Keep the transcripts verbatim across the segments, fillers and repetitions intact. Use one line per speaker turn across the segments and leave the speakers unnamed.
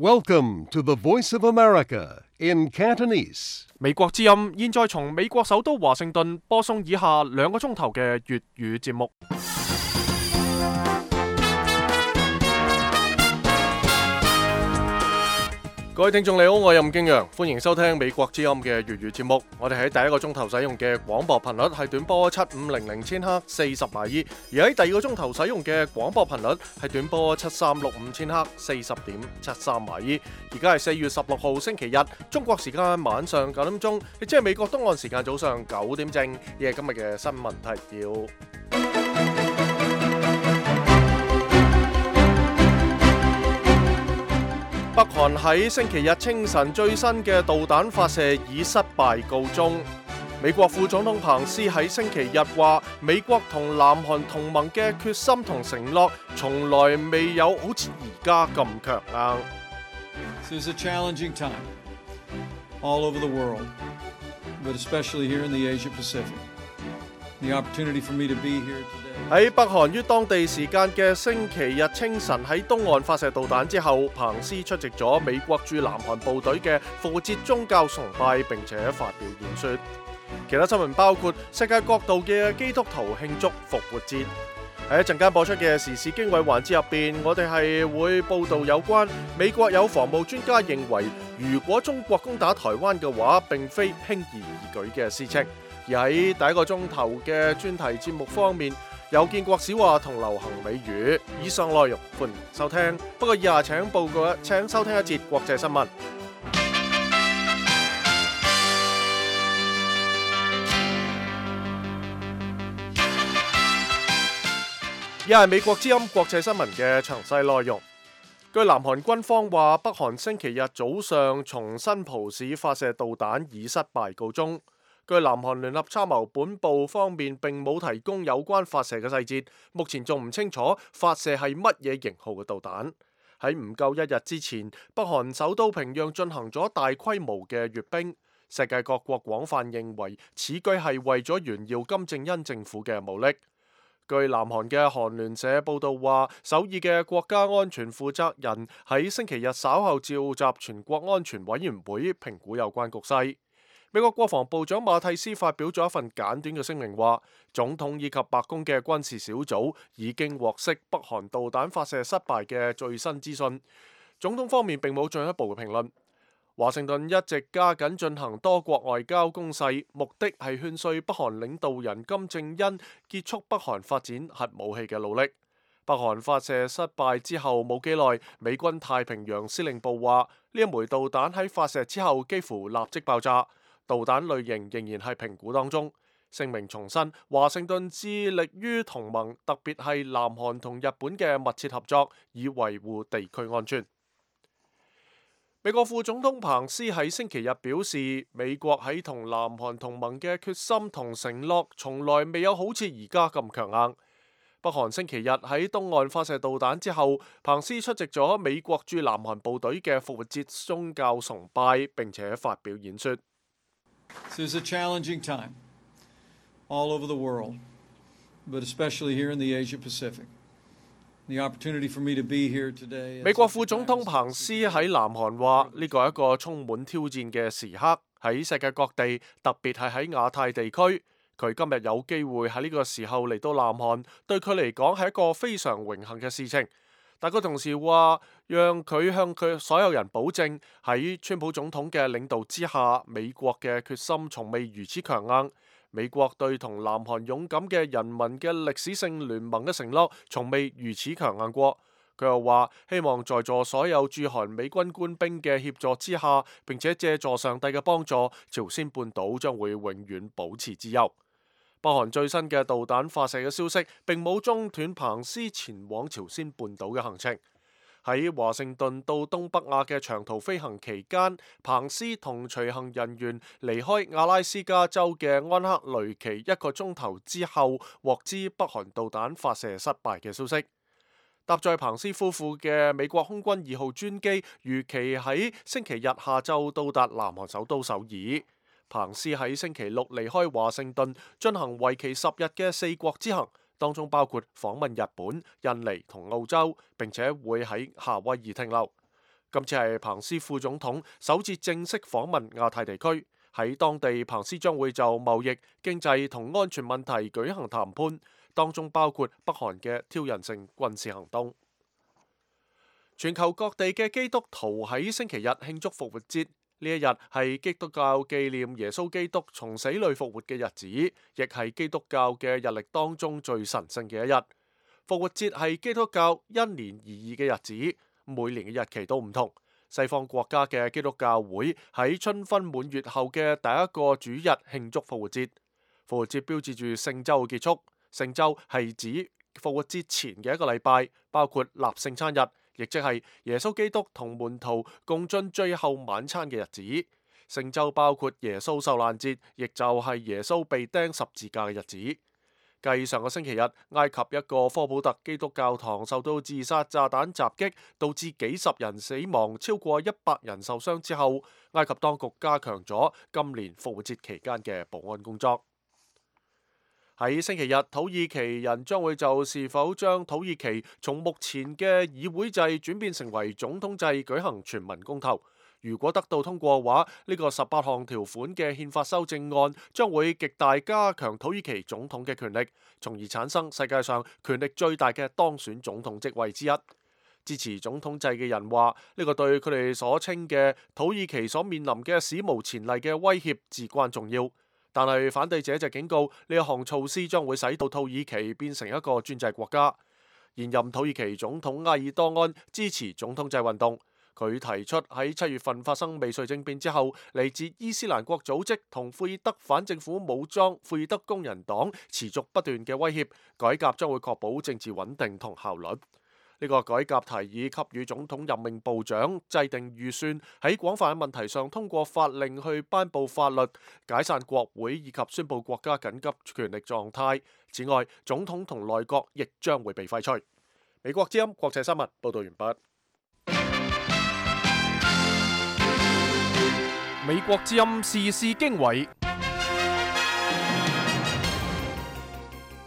Welcome to the Voice of America in Cantonese.
美國之音現在從美國首都華盛頓播送以下兩個鐘頭嘅粵語節目。各位聽眾你好，我係任敬陽，歡迎收聽美國之音嘅粵語節目。我哋喺第一個鐘頭使用嘅廣播頻率係短波七五零零千赫四十馬爾，而喺第二個鐘頭使用嘅廣播頻率係短波七三六五千赫四十點七三馬爾。而家係四月十六號星期日，中國時間晚上九點鐘，亦即係美國東岸時間早上九點正。呢係今日嘅新聞提要。北韓喺星期日清晨最新嘅導彈發射以失敗告終。美國副總統彭斯喺星期日話，美國同南韓同盟嘅決心同承諾，從來未有好似而家咁強硬。
This is a challenging time all over the world, but especially here in the Asia Pacific. The opportunity for me to be here today.
喺北韓於當地時間嘅星期日清晨喺東岸發射導彈之後，彭斯出席咗美國駐南韓部隊嘅復活節宗教崇拜，並且發表演說。其他新聞包括世界各度嘅基督徒慶祝復活節。喺一陣間播出嘅時事經緯環節入邊，我哋係會報道有關美國有防務專家認為，如果中國攻打台灣嘅話，並非輕而易舉嘅事情。而喺第一個鐘頭嘅專題節目方面，有建國小話同流行美語。以上內容歡迎收聽。不過以下請報告，請收聽一節國際新聞。以下係美國之音國際新聞嘅詳細內容。據南韓軍方話，北韓星期日早上從新浦市發射導彈以失敗告終。據南韓聯合參謀本部方面並冇提供有關發射嘅細節，目前仲唔清楚發射係乜嘢型號嘅導彈。喺唔夠一日之前，北韓首都平壤進行咗大規模嘅閱兵，世界各國廣泛認為此舉係為咗炫耀金正恩政府嘅武力。據南韓嘅韓聯社報道話，首爾嘅國家安全負責人喺星期日稍後召集全國安全委員會評估有關局勢。美國國防部長馬蒂斯發表咗一份簡短嘅聲明，話總統以及白宮嘅軍事小組已經獲悉北韓導彈發射失敗嘅最新資訊。總統方面並冇進一步嘅評論。華盛頓一直加緊進行多國外交攻勢，目的係勸說北韓領導人金正恩結束北韓發展核武器嘅努力。北韓發射失敗之後冇幾耐，美軍太平洋司令部話呢一枚導彈喺發射之後幾乎立即爆炸。導彈類型仍然係評估當中。聲明重申，華盛頓致力於同盟，特別係南韓同日本嘅密切合作，以維護地區安全。美國副總統彭斯喺星期日表示，美國喺同南韓同盟嘅決心同承諾，從來未有好似而家咁強硬。北韓星期日喺東岸發射導彈之後，彭斯出席咗美國駐南韓部隊嘅復活節宗教崇拜，並且發表演說。
This is a challenging time all over the world, but especially here in the Asia Pacific. The opportunity for me to be here today.
美國副總統彭斯喺南韓話：呢個係一個充滿挑戰嘅時刻，喺世界各地，特別係喺亞太地區。佢今日有機會喺呢個時候嚟到南韓，對佢嚟講係一個非常榮幸嘅事情。但佢同時話，讓佢向佢所有人保證，喺川普總統嘅領導之下，美國嘅決心從未如此強硬。美國對同南韓勇敢嘅人民嘅歷史性聯盟嘅承諾，從未如此強硬過。佢又話，希望在座所有駐韓美軍官兵嘅協助之下，並且借助上帝嘅幫助，朝鮮半島將會永遠保持自由。北韓最新嘅導彈發射嘅消息並冇中斷彭斯前往朝鮮半島嘅行程。喺華盛頓到東北亞嘅長途飛行期間，彭斯同隨行人員離開阿拉斯加州嘅安克雷奇一個鐘頭之後，獲知北韓導彈發射失敗嘅消息。搭載彭斯夫婦嘅美國空軍二號專機預期喺星期日下晝到達南韓首都首爾。彭斯喺星期六離開華盛頓，進行為期十日嘅四國之行，當中包括訪問日本、印尼同澳洲，並且會喺夏威夷停留。今次係彭斯副總統首次正式訪問亞太地區，喺當地彭斯將會就貿易、經濟同安全問題舉行談判，當中包括北韓嘅挑釁性軍事行動。全球各地嘅基督徒喺星期日慶祝復活節，呢一日係基督教紀念耶穌基督從死裏復活嘅日子，亦係基督教嘅日曆當中最神聖嘅一日。復活節係基督教因年而異嘅日子，每年嘅日期都唔同。西方國家嘅基督教會喺春分滿月後嘅第一個主日慶祝復活節。復活節標誌住聖週嘅結束，聖週係指復活節前嘅一個禮拜，包括立聖餐日，亦即係耶穌基督同門徒共進最後晚餐嘅日子。聖週包括耶穌受難節，亦就係耶穌被釘十字架嘅日子。繼上個星期日，埃及一個科普特基督教堂受到自殺炸彈襲擊，導致幾十人死亡，超過一百人受傷之後，埃及當局加強咗今年復活節期間嘅保安工作。喺星期日，土耳其人將會就是否將土耳其從目前嘅議會制轉變成為總統制舉行全民公投。如果得到通過嘅話，呢個十八項條款嘅憲法修正案將會極大加強土耳其總統嘅權力，從而產生世界上權力最大嘅當選總統職位之一。支持總統制嘅人話，呢個對佢哋所稱嘅土耳其所面臨嘅史無前例嘅威脅至關重要。但係反對者就警告，呢一項措施將會使到土耳其變成一個專制國家。現任土耳其總統埃爾多安支持總統制運動。佢提出喺七月份發生未遂政變之後，嚟自伊斯蘭國組織同庫爾德反政府武裝庫爾德工人黨持續不斷嘅威脅，改革將會確保政治穩定同效率。呢個改革提議給予總統任命部長制定預算，喺廣泛嘅問題上通過法令去頒布法律、解散國會以及宣布國家緊急權力狀態。此外，總統同內閣亦將會被廢除。美國之音國際新聞報道完畢。美國之音時事經緯，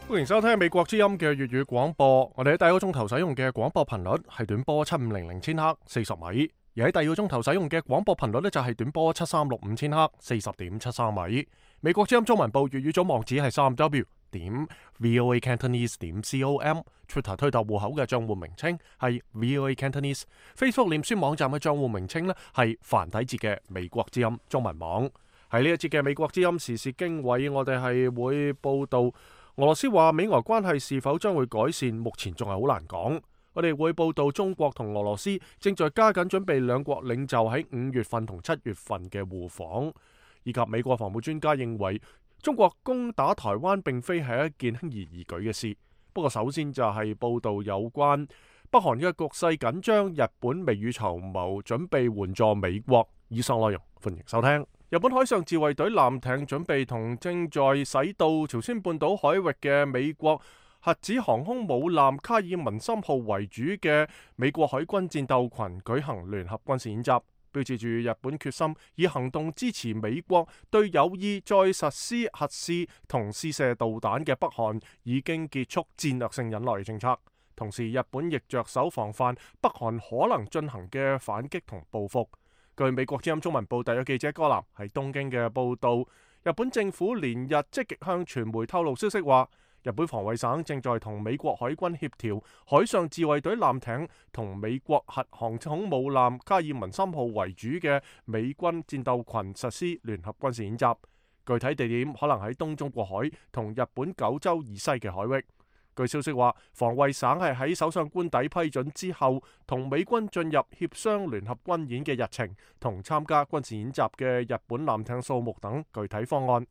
歡迎收聽美國之音嘅粵語廣播。我哋喺第一個鐘頭使用嘅廣播頻率係短波七五零零千赫四十米，而喺第二個鐘頭使用嘅廣播頻率呢，就係短波七三六五千赫四十點七三米。美國之音中文部粵語組網址係三 w 點 voa cantonese 點 com，Twitter 推特戶口嘅賬戶名稱係 voa cantonese，Facebook 臉書網站嘅賬戶名稱呢係繁體字嘅美國之音中文網。喺呢一節嘅美國之音時事經緯，我哋係會報道俄羅斯話美俄關係是否將會改善，目前仲係好難講。我哋會報道中國同俄羅斯正在加緊準備兩國領袖喺五月份同七月份嘅互訪，以及美國防務專家認為中國攻打台灣並非係一件輕而易舉嘅事。不過首先就係報道有關北韓嘅局勢緊張，日本未雨綢繆，準備援助美國。以上內容歡迎收聽。日本海上自衛隊艦艇準備同正在駛到朝鮮半島海域嘅美國核子航空母艦卡爾文森號為主嘅美國海軍戰鬥群舉行聯合軍事演習，標誌住日本決心以行動支持美國對有意再實施核試同試射導彈嘅北韓已經結束戰略性忍耐嘅政策。同時，日本亦着手防範北韓可能進行嘅反擊同報復。據美國之音中文部特約記者戈南喺東京嘅報道，日本政府連日積極向傳媒透露消息話，日本防衛省正在同美國海軍協調海上自衛隊艦艇同美國核航空母艦卡爾文森號為主嘅美軍戰鬥群實施聯合軍事演習，具體地點可能喺東中國海同日本九州以西嘅海域。據消息話，防衛省係喺首相官邸批准之後，同美軍進入協商聯合軍演嘅日程同參加軍事演習嘅日本艦艇數目等具體方案。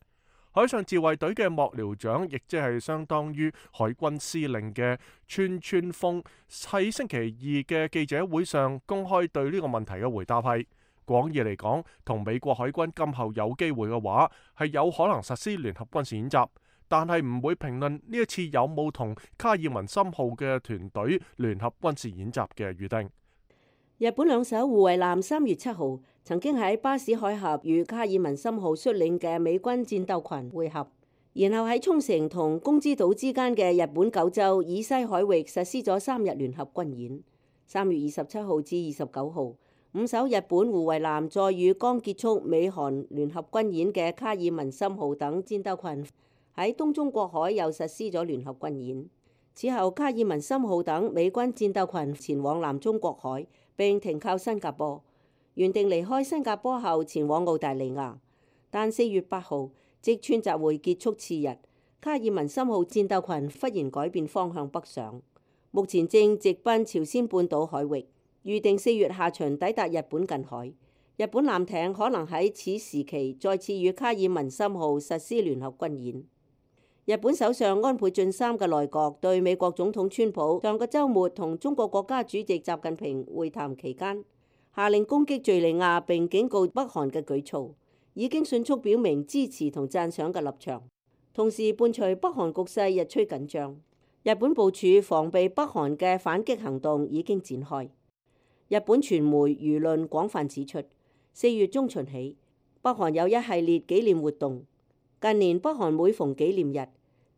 海上自衛隊嘅幕僚長，亦即係相當於海軍司令嘅川川豐，喺星期二嘅記者會上公開對呢個問題嘅回答係：廣義嚟講，同美國海軍今後有機會嘅話，係有可能實施聯合軍事演習。但係唔會評論呢一次有冇同卡爾文森號嘅團隊聯合軍事演習嘅預定。
日本兩艘護衛艦三月七號曾經喺巴士海峽與卡爾文森號率領嘅美軍戰鬥群會合，然後喺沖繩同宮之島之間嘅日本九州以西海域實施咗三日聯合軍演。三月二十七號至二十九號，五艘日本護衛艦載與剛結束美韓聯合軍演嘅卡爾文森號等戰鬥群喺東中國海又實施咗聯合軍演。此後，卡爾文森號等美軍戰鬥群前往南中國海並停靠新加坡，原定離開新加坡後前往澳大利亞。但四月八號，即川習會結束次日，卡爾文森號戰鬥群忽然改變方向北上，目前正直奔朝鮮半島海域，預定四月下旬抵達日本近海。日本艦艇可能喺此時期再次與卡爾文森號實施聯合軍演。日本首相安倍晉三嘅內閣對美國總統川普上個週末同中國國家主席習近平會談期間，下令攻擊敍利亞並警告北韓嘅舉措，已經迅速表明支持同讚賞嘅立場。同時伴隨北韓局勢日趨緊張，日本部署防備北韓嘅反擊行動已經展開。日本傳媒輿論廣泛指出，四月中旬起，北韓有一系列紀念活動。近年北韓每逢紀念日，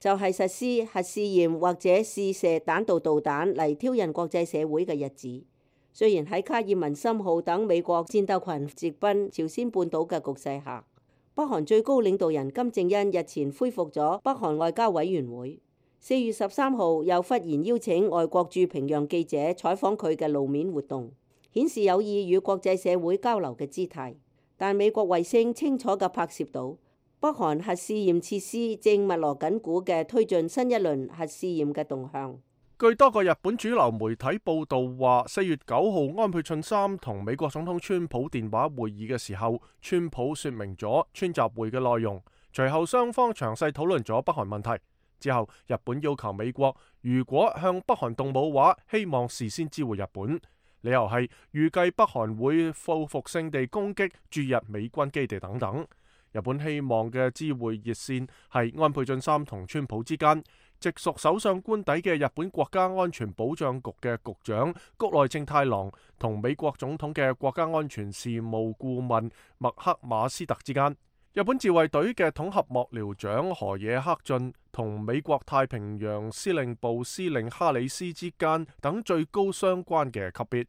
就係實施核試驗或者試射彈道導彈嚟挑釁國際社會嘅日子。雖然喺卡爾文森號等美國戰鬥群直奔朝鮮半島嘅局勢下，北韓最高領導人金正恩日前恢復咗北韓外交委員會。四月十三號又忽然邀請外國駐平壤記者採訪佢嘅露面活動，顯示有意與國際社會交流嘅姿態。但美國衛星清楚嘅拍攝到，北韓核試驗設施正密鑼緊鼓嘅推進新一輪核試驗嘅動向。
據多個日本主流媒體報道話，四月九號安倍晉三同美國總統川普電話會議嘅時候，川普說明咗川習會嘅內容。隨後雙方詳細討論咗北韓問題。之後，日本要求美國如果向北韓動武話，希望事先知會日本。理由係預計北韓會報復性地攻擊駐日美軍基地等等。日本希望嘅知會熱線係安倍晉三同川普之間，直屬首相官邸嘅日本國家安全保障局嘅局長谷內正太郎同美國總統嘅國家安全事務顧問麥克馬斯特之間。日本自衛隊嘅統合幕僚長河野克俊同美國太平洋司令部司令哈里斯之間等最高相關嘅級別。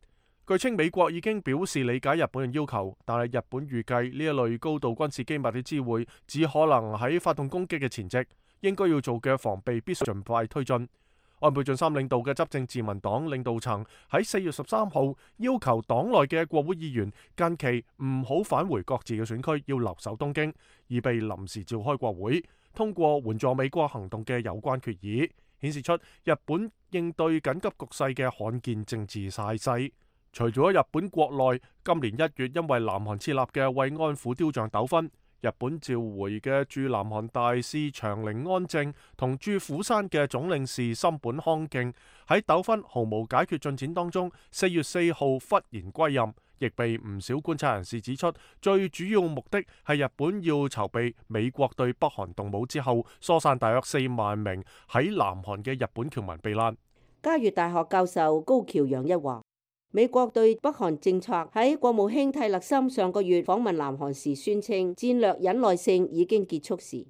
據稱美國已經表示理解日本嘅要求，但係日本預計呢一類高度軍事機密嘅知會只可能喺發動攻擊嘅前夕，應該要做嘅防備必須盡快推進。安倍晉三領導嘅執政自民黨領導層喺四月十三號要求黨內嘅國會議員近期唔好返回各自嘅選區，要留守東京，以備臨時召開國會，通過援助美國行動嘅有關決議，顯示出日本應對緊急局勢嘅罕見政治態勢。除咗日本國內今年一月因為南韓設立嘅慰安婦雕像糾紛，日本召回嘅駐南韓大使長陵安正同駐釜山嘅總領事森本康敬喺糾紛毫無解決進展當中，四月四號忽然歸任，亦被唔少觀察人士指出，最主要目的係日本要籌備美國對北韓動武之後，疏散大約四萬名喺南韓嘅日本僑民避難。
嘉悦大學教授高橋洋一話，美國對北韓政策喺國務卿蒂勒森上個月訪問南韓時宣稱戰略忍耐性已經結束時，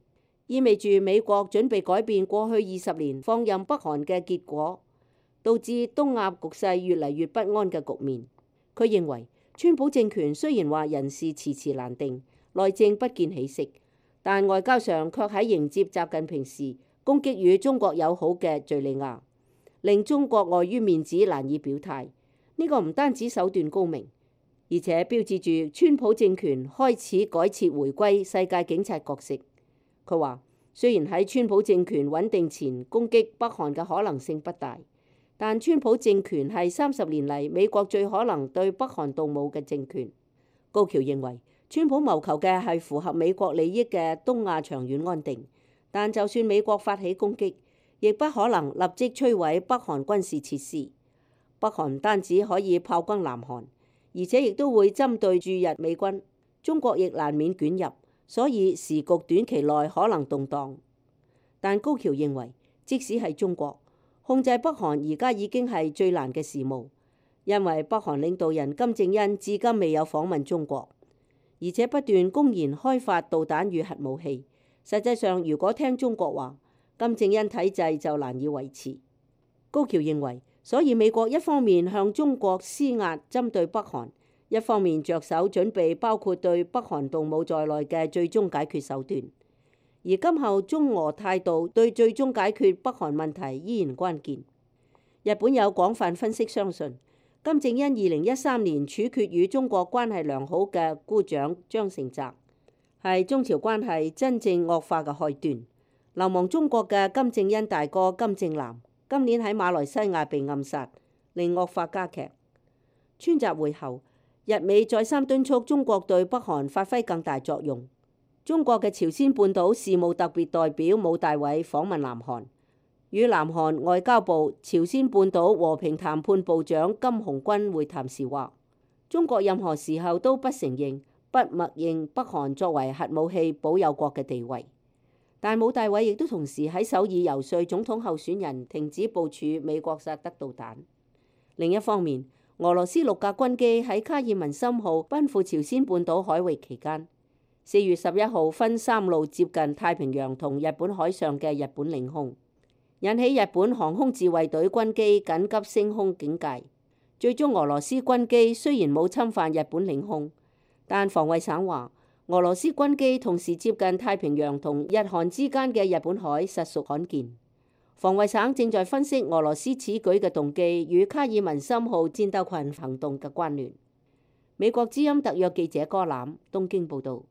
意味住美國準備改變過去二十年放任北韓嘅結果，導致東亞局勢越嚟越不安嘅局面。佢認為川普政權雖然話人事遲遲難定，內政不見起色，但外交上卻喺迎接習近平時攻擊與中國友好嘅敍利亞，令中國礙於面子難以表態。呢個唔單止手段高明，而且標誌住川普政權開始改設回歸世界警察角色。佢話，雖然喺川普政權穩定前攻擊北韓嘅可能性不大，但川普政權係三十年嚟美國最可能對北韓動武嘅政權。高橋認為，川普謀求嘅係符合美國利益嘅東亞長遠安定，但就算美國發起攻擊，亦不可能立即摧毀北韓軍事設施。北韓唔單止可以炮轟南韓，而且亦都會針對駐日美軍，中國亦難免捲入，所以時局短期內可能動盪。但高橋認為，即使係中國控制北韓，而家已經係最難嘅事務，因為北韓領導人金正恩至今未有訪問中國，而且不斷公然開發導彈與核武器。實際上，如果聽中國話，金正恩體制就難以維持。高橋認為，所以美國一方面向中國施壓針對北韓，一方面着手準備包括對北韓動武在內嘅最終解決手段，而今後中俄態度對最終解決北韓問題依然關鍵。日本有廣泛分析相信，金正恩二零一三年處決與中國關係良好嘅姑丈張成澤，係中朝關係真正惡化嘅開端。流亡中國嘅金正恩大哥金正男今年喺馬來西亞被暗殺，令惡化加劇。川習會後，日美再三敦促中國對北韓發揮更大作用。中國嘅朝鮮半島事務特別代表武大偉訪問南韓，與南韓外交部朝鮮半島和平談判部長金洪軍會談時話，中國任何時候都不承認、不默認北韓作為核武器保有國嘅地位。但武大偉亦都同時喺首爾遊說總統候選人停止部署美國薩德導彈。另一方面，俄羅斯六架軍機喺卡爾文森號奔赴朝鮮半島海域期間，四月十一號分三路接近太平洋同日本海上嘅日本領空，引起日本航空自衛隊軍機緊急升空警戒。最終俄羅斯軍機雖然冇侵犯日本領空，但防衛省話，俄羅斯軍機同時接近太平洋同日韓之間嘅日本海實屬罕見。防衛省正在分析俄羅斯此舉嘅動機與卡爾文森號戰鬥群行動嘅關聯。美國之音特約記者柯攬東京報導。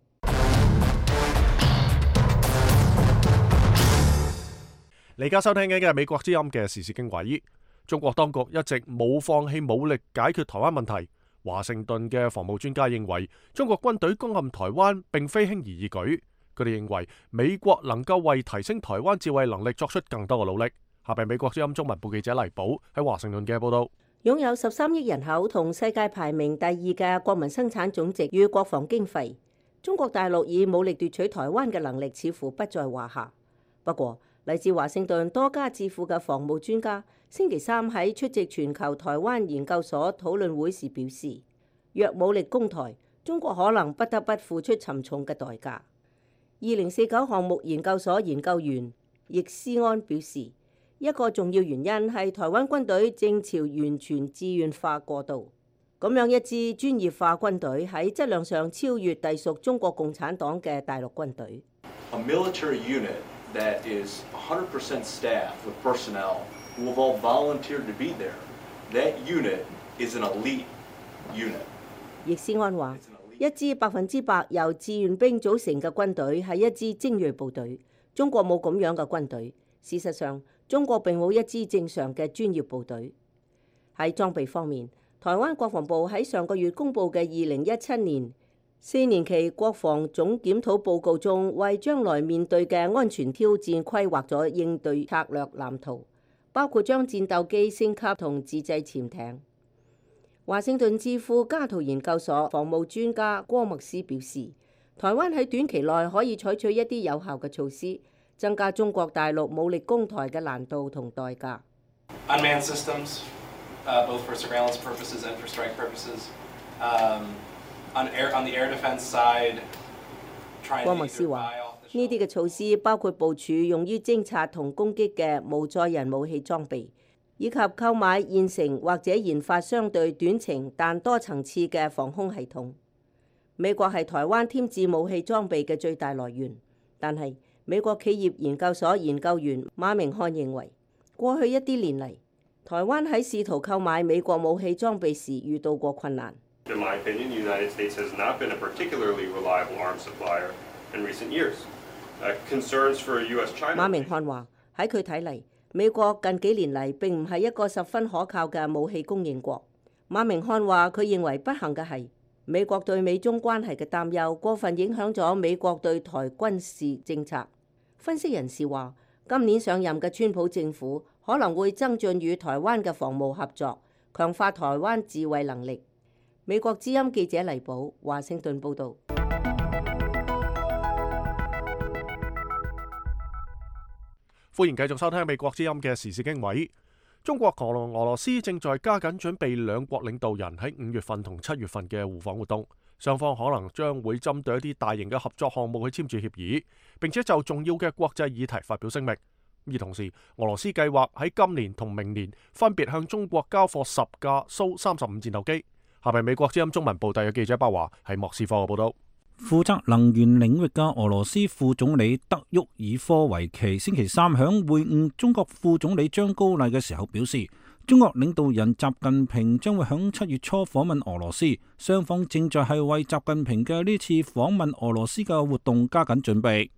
你而家收聽緊嘅係美國之音嘅時事經緯。中國當局一直冇放棄武力解決台灣問題。華盛頓嘅防務專家認為，中國軍隊攻陷台灣並非輕而易舉。佢哋認為美國能夠為提升台灣自衛能力作出更多嘅努力。下邊美國之音中文部記者黎寶喺華盛頓嘅報道。
擁有十三億人口同世界排名第二嘅國民生產總值與國防經費，中國大陸以武力奪取台灣嘅能力似乎不在話下。不過，嚟自華盛頓多家智庫嘅防務專家星期三喺出席全球台灣研究所討論會時表示，若武力攻台，中國可能不得不付出沉重嘅代價。二零四九項目研究所研究員易思安表示，一個重要原因係台灣軍隊正朝完全志願化過渡，咁樣一支專業化軍隊喺質量上超越隸屬中國共產黨嘅大陸軍隊。
A military unit that is one hundred percent staff with personnel who have all volunteered to be there. That unit is an elite unit.
易思安話，一支百分之百由志願兵組成嘅軍隊係一支精鋭部隊。中國冇咁樣嘅軍隊。事實上，中國並冇一支正常嘅專業部隊。喺裝備方面，台灣國防部喺上個月公布嘅二零一七年四年期國防總檢討報告中，為將來面對嘅安全挑戰規劃咗應對策略藍圖，包括將戰鬥機升級同自製潛艇。華盛頓智庫加圖研究所防務專家郭麥斯表示，台灣喺短期內可以採取一啲有效嘅措施，增加中國大陸武力攻台嘅難度同代價。
Unmanned systems, uh, both for surveillance purposes and for strike purposes. Um, on air, on the air defense side, trying to
郭麥斯話，呢啲嘅措施包括部署用於偵察同攻擊嘅無載人武器裝備，以及購買現成或者研發相對短程但多層次嘅防空系統。美國係台灣添置武器裝備嘅最大來源，但係美國企業研究所研究員馬明漢認為，過去一啲年嚟，台灣喺試圖購買美國武器裝備時遇到過困難。
In my opinion, the United States has not been a particularly reliable arms supplier in recent years. Uh, concerns for U S-China.
馬明漢話：喺佢睇嚟，美國近幾年嚟並唔係一個十分可靠嘅武器供應國。馬明漢話：佢認為不幸嘅係，美國對美中關係嘅擔憂過分影響咗美國對台軍事政策。分析人士話，今年上任嘅川普政府可能會增進與台灣嘅防務合作，強化台灣自衛能力。美國之音記者黎寶，華盛頓報導。
歡迎繼續收聽美國之音嘅時事經緯。中國同俄羅斯正在加緊準備兩國領導人喺五月份同七月份嘅互訪活動，雙方可能將會針對一啲大型嘅合作項目去簽署協議，並且就重要嘅國際議題發表聲明。而同時，俄羅斯計劃喺今年同明年分別向中國交貨十架蘇三十五戰鬥機，下面美國之音中文部特約記者巴華喺莫斯科嘅報道。
負責能源領域嘅俄羅斯副總理德沃爾科維奇星期三響會晤中國副總理張高麗嘅時候表示，中國領導人習近平將會響七月初訪問俄羅斯，雙方正在係為習近平嘅呢次訪問俄羅斯嘅活動加緊準備。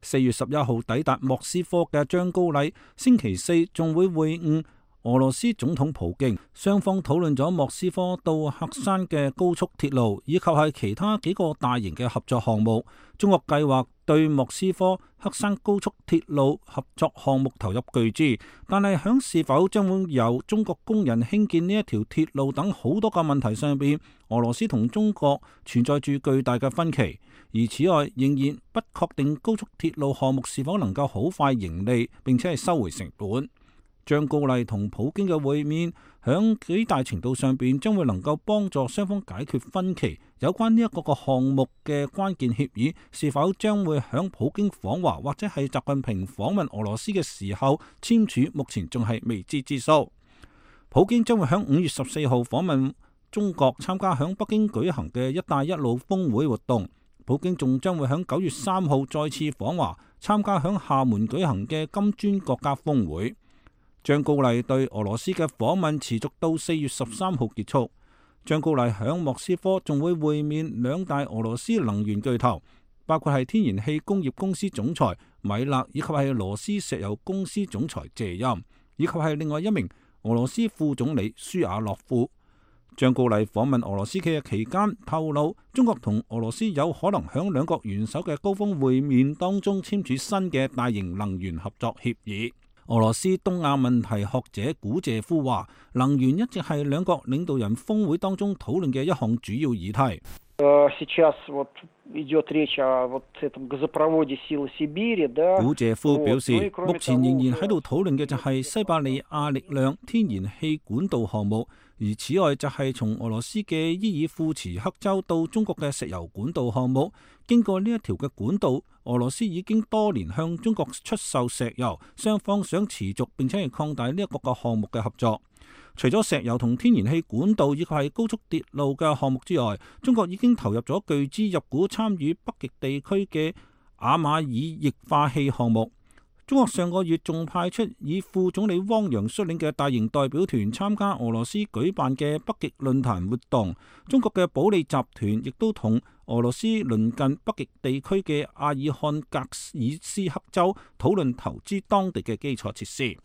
四月十一號抵達莫斯科嘅張高麗星期四仲會會晤俄羅斯總統普京，雙方討論咗莫斯科到黑山嘅高速鐵路，以及係其他幾個大型嘅合作項目。中國計劃對莫斯科黑山高速鐵路合作項目投入巨資，但係響是否將會由中國工人興建呢一條鐵路等好多個問題上邊，俄羅斯同中國存在住巨大嘅分歧。而此外，仍然不確定高速鐵路項目是否能夠好快盈利，並且係收回成本。張高麗同普京嘅會面，響幾大程度上邊將會能夠幫助雙方解決分歧。有關呢一個個項目嘅關鍵協議，是否將會響普京訪華或者係習近平訪問俄羅斯嘅時候簽署，目前仲係未知之數。普京將會響五月十四號訪問中國，參加響北京舉行嘅一帶一路峰會活動。普京仲將會響九月三號再次訪華，參加響廈門舉行嘅金磚國家峰會。張高麗對俄羅斯嘅訪問持續到四月十三號結束。張高麗響莫斯科仲會會面兩大俄羅斯能源巨頭，包括係天然氣工業公司總裁米勒，以及係羅斯石油公司總裁謝欽，以及係另外一名俄羅斯副總理舒亞洛夫。張高麗訪問俄羅斯嘅期間透露，中國同俄羅斯有可能響兩國元首嘅高峰會面當中簽署新嘅大型能源合作協議。俄羅斯東亞問題學者古謝夫話，能源一直係兩國領導人峰會當中討論嘅一項主要議題。古謝夫表示，目前仍然喺度討論嘅就係西伯利亞力量天然氣管道項目，而此外就係從俄羅斯嘅伊爾庫茨克州到中國嘅石油管道項目。經過呢一條嘅管道，俄羅斯已經多年向中國出售石油，雙方想持續並且係擴大呢一個個項目嘅合作。除咗石油同天然氣管道以及係高速鐵路嘅項目之外，中國已經投入咗巨資入股參與北極地區嘅亞馬爾液化氣項目。中國上個月仲派出以副總理汪洋率領嘅大型代表團參加俄羅斯舉辦嘅北極論壇活動。中國嘅保利集團亦都同俄羅斯鄰近北極地區嘅阿爾漢格爾斯克州討論投資當地嘅基礎設施。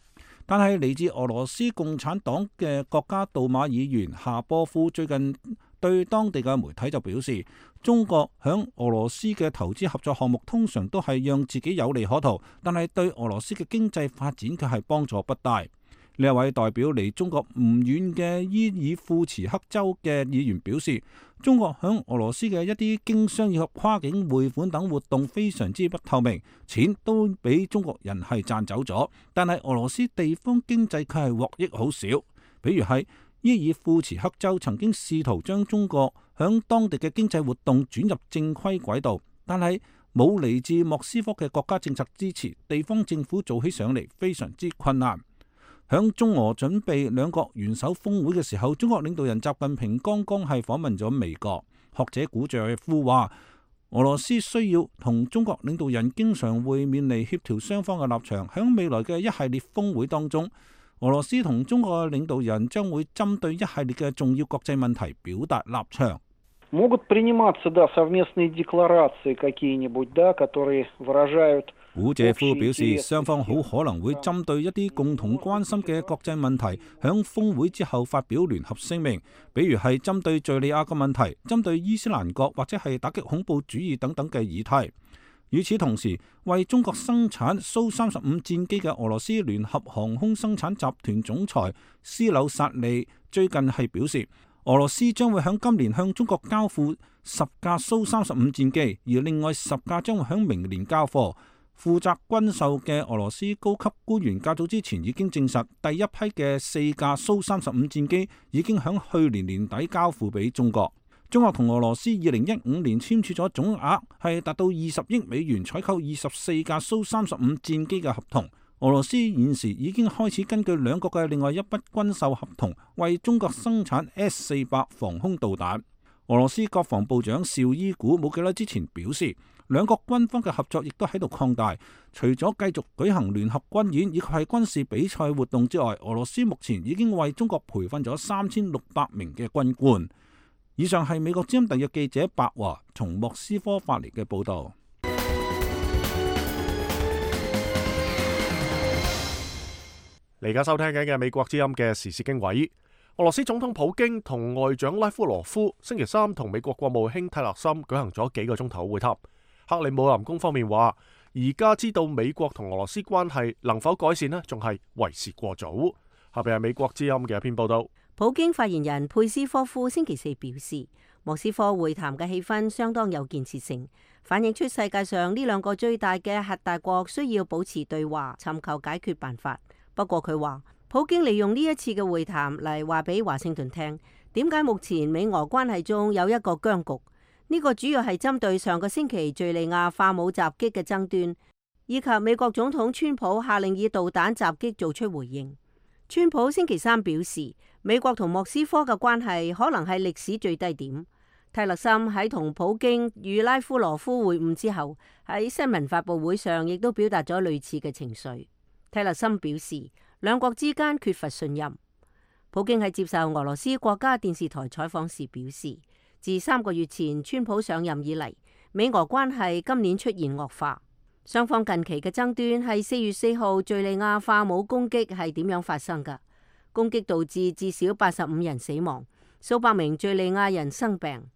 但係嚟自俄羅斯共產黨嘅國家杜馬議員夏波夫最近對當地嘅媒體就表示，中國響俄羅斯嘅投資合作項目通常都係讓自己有利可圖，但係對俄羅斯嘅經濟發展卻係幫助不大。呢一位代表離中國唔遠嘅伊爾庫茨克州嘅議員表示，中國響俄羅斯嘅一啲經商以及跨境匯款等活動非常之不透明，錢都俾中國人係賺走咗，但係俄羅斯地方經濟卻係獲益好少。比如係伊爾庫茨克州曾經試圖將中國響當地嘅經濟活動轉入正規軌道，但係冇嚟自莫斯科嘅國家政策支持，地方政府做起上嚟非常之困難。響中俄準備兩國元首峰會嘅時候，中國領導人習近平剛剛係訪問咗美國。學者古謝夫話，俄羅斯需要同中國領導人經常會面嚟協調雙方嘅立場。響未來嘅一系列峰會當中，俄羅斯同中國嘅領導人將會針對一系列嘅重要國際問題表達立場。古謝夫表示，雙方好可能會針對一啲共同關心嘅國際問題，響峰會之後發表聯合聲明，比如係針對敘利亞嘅問題、針對伊斯蘭國或者係打擊恐怖主義等等嘅議題。與此同時，為中國生產蘇三十五戰機嘅俄羅斯聯合航空生產集團總裁斯紐薩利最近係表示，俄羅斯將會響今年向中國交付十架蘇三十五戰機，而另外十架將會響明年交貨。負責軍售嘅俄羅斯高級官員較早之前已經證實，第一批嘅四架蘇三十五戰機已經響去年年底交付俾中國。中國同俄羅斯二零一五年簽署咗總額係達到二十億美元採購二十四架蘇三十五戰機嘅合同。俄羅斯現時已經開始根據兩國嘅另外一筆軍售合同，為中國生產 S 四百防空導彈。俄羅斯國防部長紹伊古冇幾耐之前表示，兩國軍方嘅合作亦都喺度擴大。除咗繼續舉行聯合軍演以及係軍事比賽活動之外，俄羅斯目前已經為中國培訓咗三千六百名嘅軍官。以上係美國之音特約記者白華從莫斯科發嚟嘅報道。
你而家收聽緊嘅美國之音嘅時事經緯，俄羅斯總統普京同外長拉夫羅夫星期三同美國國務卿蒂勒森舉行咗幾個鐘頭會談。克里姆林宮方面話，而家知道美國同俄羅斯關係能否改善呢，仲係為時過早。下邊係美國之音嘅一篇報道。
普京發言人佩斯科夫星期四表示，莫斯科會談嘅氣氛相當有建設性，反映出世界上呢兩個最大嘅核大國需要保持對話，尋求解決辦法。不過佢話，普京利用呢一次嘅會談嚟話俾華盛頓聽，點解目前美俄關係中有一個僵局。呢個主要係針對上個星期敘利亞化武襲擊嘅爭端，以及美國總統川普下令以導彈襲擊做出回應。川普星期三表示，美國同莫斯科嘅關係可能係歷史最低點。蒂勒森喺同普京與拉夫羅夫會晤之後，喺新聞發佈會上亦都表達咗類似嘅情緒。蒂勒森表示，兩國之間缺乏信任。普京喺接受俄羅斯國家電視台採訪時表示，自三個月前川普上任以嚟，美俄關係今年出現惡化。雙方近期嘅爭端係四月四號敘利亞化武攻擊係點樣發生㗎？攻擊導致至少八十五人死亡，數百名敘利亞人生病。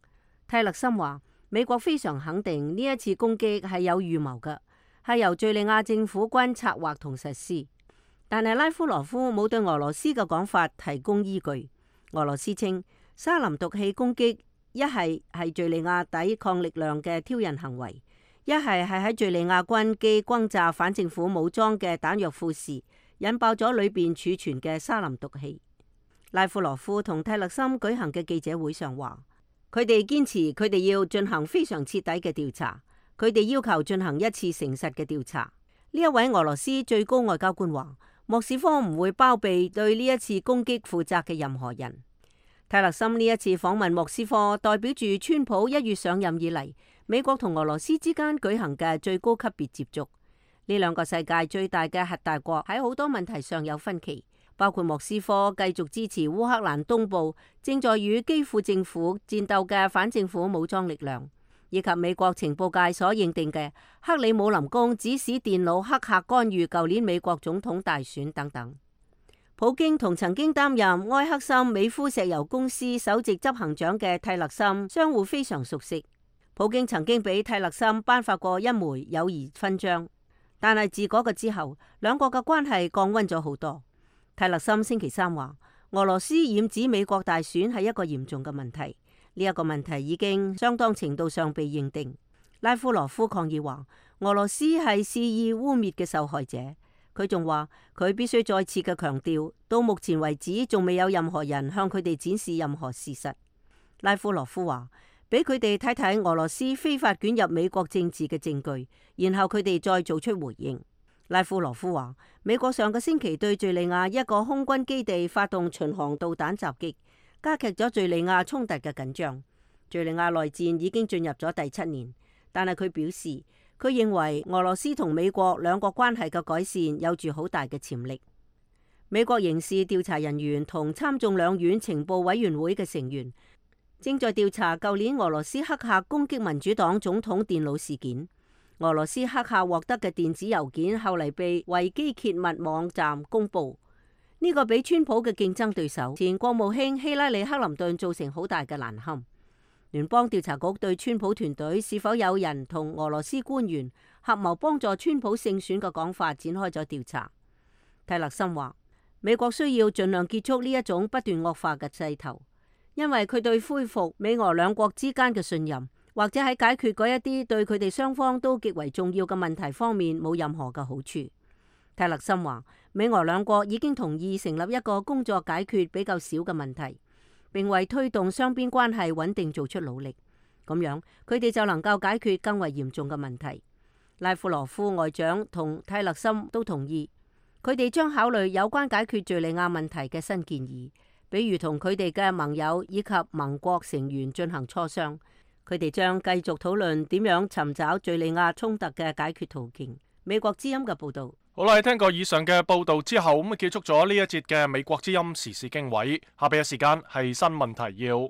蒂勒森話，美國非常肯定呢一次攻擊係有預謀嘅，係由敘利亞政府軍策劃同實施。但係拉夫羅夫冇對俄羅斯嘅講法提供依據。俄羅斯稱沙林毒氣攻擊一係係敘利亞抵抗力量嘅挑釁行為，一係係喺敘利亞軍機轟炸反政府武裝嘅彈藥庫時，引爆咗裏邊儲存嘅沙林毒氣。拉夫羅夫同蒂勒森舉行嘅記者會上話，佢哋堅持佢哋要進行非常徹底嘅調查，佢哋要求進行一次誠實嘅調查。呢一位俄羅斯最高外交官話，莫斯科唔會包庇對呢一次攻擊負責嘅任何人。蒂勒森呢一次訪問莫斯科，代表住川普一月上任以嚟，美國同俄羅斯之間舉行嘅最高級別接觸。呢兩個世界最大嘅核大國喺好多問題上有分歧，包括莫斯科繼續支持烏克蘭東部正在與基輔政府戰鬥嘅反政府武裝力量，以及美國情報界所認定嘅克里姆林宮指使電腦黑客干預舊年美國總統大選等等。普京同曾經擔任埃克森美孚石油公司首席執行長嘅蒂勒森相互非常熟悉。普京曾經俾蒂勒森頒發過一枚友誼勳章，但係自嗰個之後，兩國嘅關係降溫咗好多。蒂勒森星期三話，俄羅斯染指美國大選係一個嚴重嘅問題，呢一個問題已經相當程度上被認定。拉夫羅夫抗議話，俄羅斯係肆意污衊嘅受害者。佢仲話，佢必須再次嘅強調，到目前為止仲未有任何人向佢哋展示任何事實。拉夫羅夫話，俾佢哋睇睇俄羅斯非法捲入美國政治嘅證據，然後佢哋再做出回應。拉夫羅夫話，美國上個星期對敘利亞一個空軍基地發動巡航導彈襲擊，加劇咗敘利亞衝突嘅緊張。敘利亞內戰已經進入咗第七年，但係佢表示，佢認為俄羅斯同美國兩國關係嘅改善有住好大嘅潛力。美國刑事調查人員同參眾兩院情報委員會嘅成員正在調查舊年俄羅斯黑客攻擊民主黨總統電腦事件。俄羅斯黑客獲得嘅電子郵件後嚟被維基揭密網站公佈，呢、這個俾川普嘅競爭對手前國務卿希拉里克林頓造成好大嘅難堪。聯邦調查局對川普團隊是否有人同俄羅斯官員合謀幫助川普勝選嘅講法展開咗調查。蒂勒森話，美國需要盡量結束呢一種不斷惡化嘅勢頭，因為佢對恢復美俄兩國之間嘅信任，或者喺解決嗰一啲對佢哋雙方都極為重要嘅問題方面冇任何嘅好處。蒂勒森話，美俄兩國已經同意成立一個工作解決比較少嘅問題，並為推動雙邊關係穩定做出努力，咁樣佢哋就能夠解決更為嚴重嘅問題。拉夫羅夫外長同蒂勒森都同意，佢哋將考慮有關解決敘利亞問題嘅新建議，比如同佢哋嘅盟友以及盟國成員進行磋商。佢哋將繼續討論點樣尋找敘利亞衝突嘅解決途徑。美國之音嘅報導。
好啦，聽過以上嘅報導之後，咁結束咗呢一節嘅美國之音時事經緯。下邊嘅時間係新聞提要。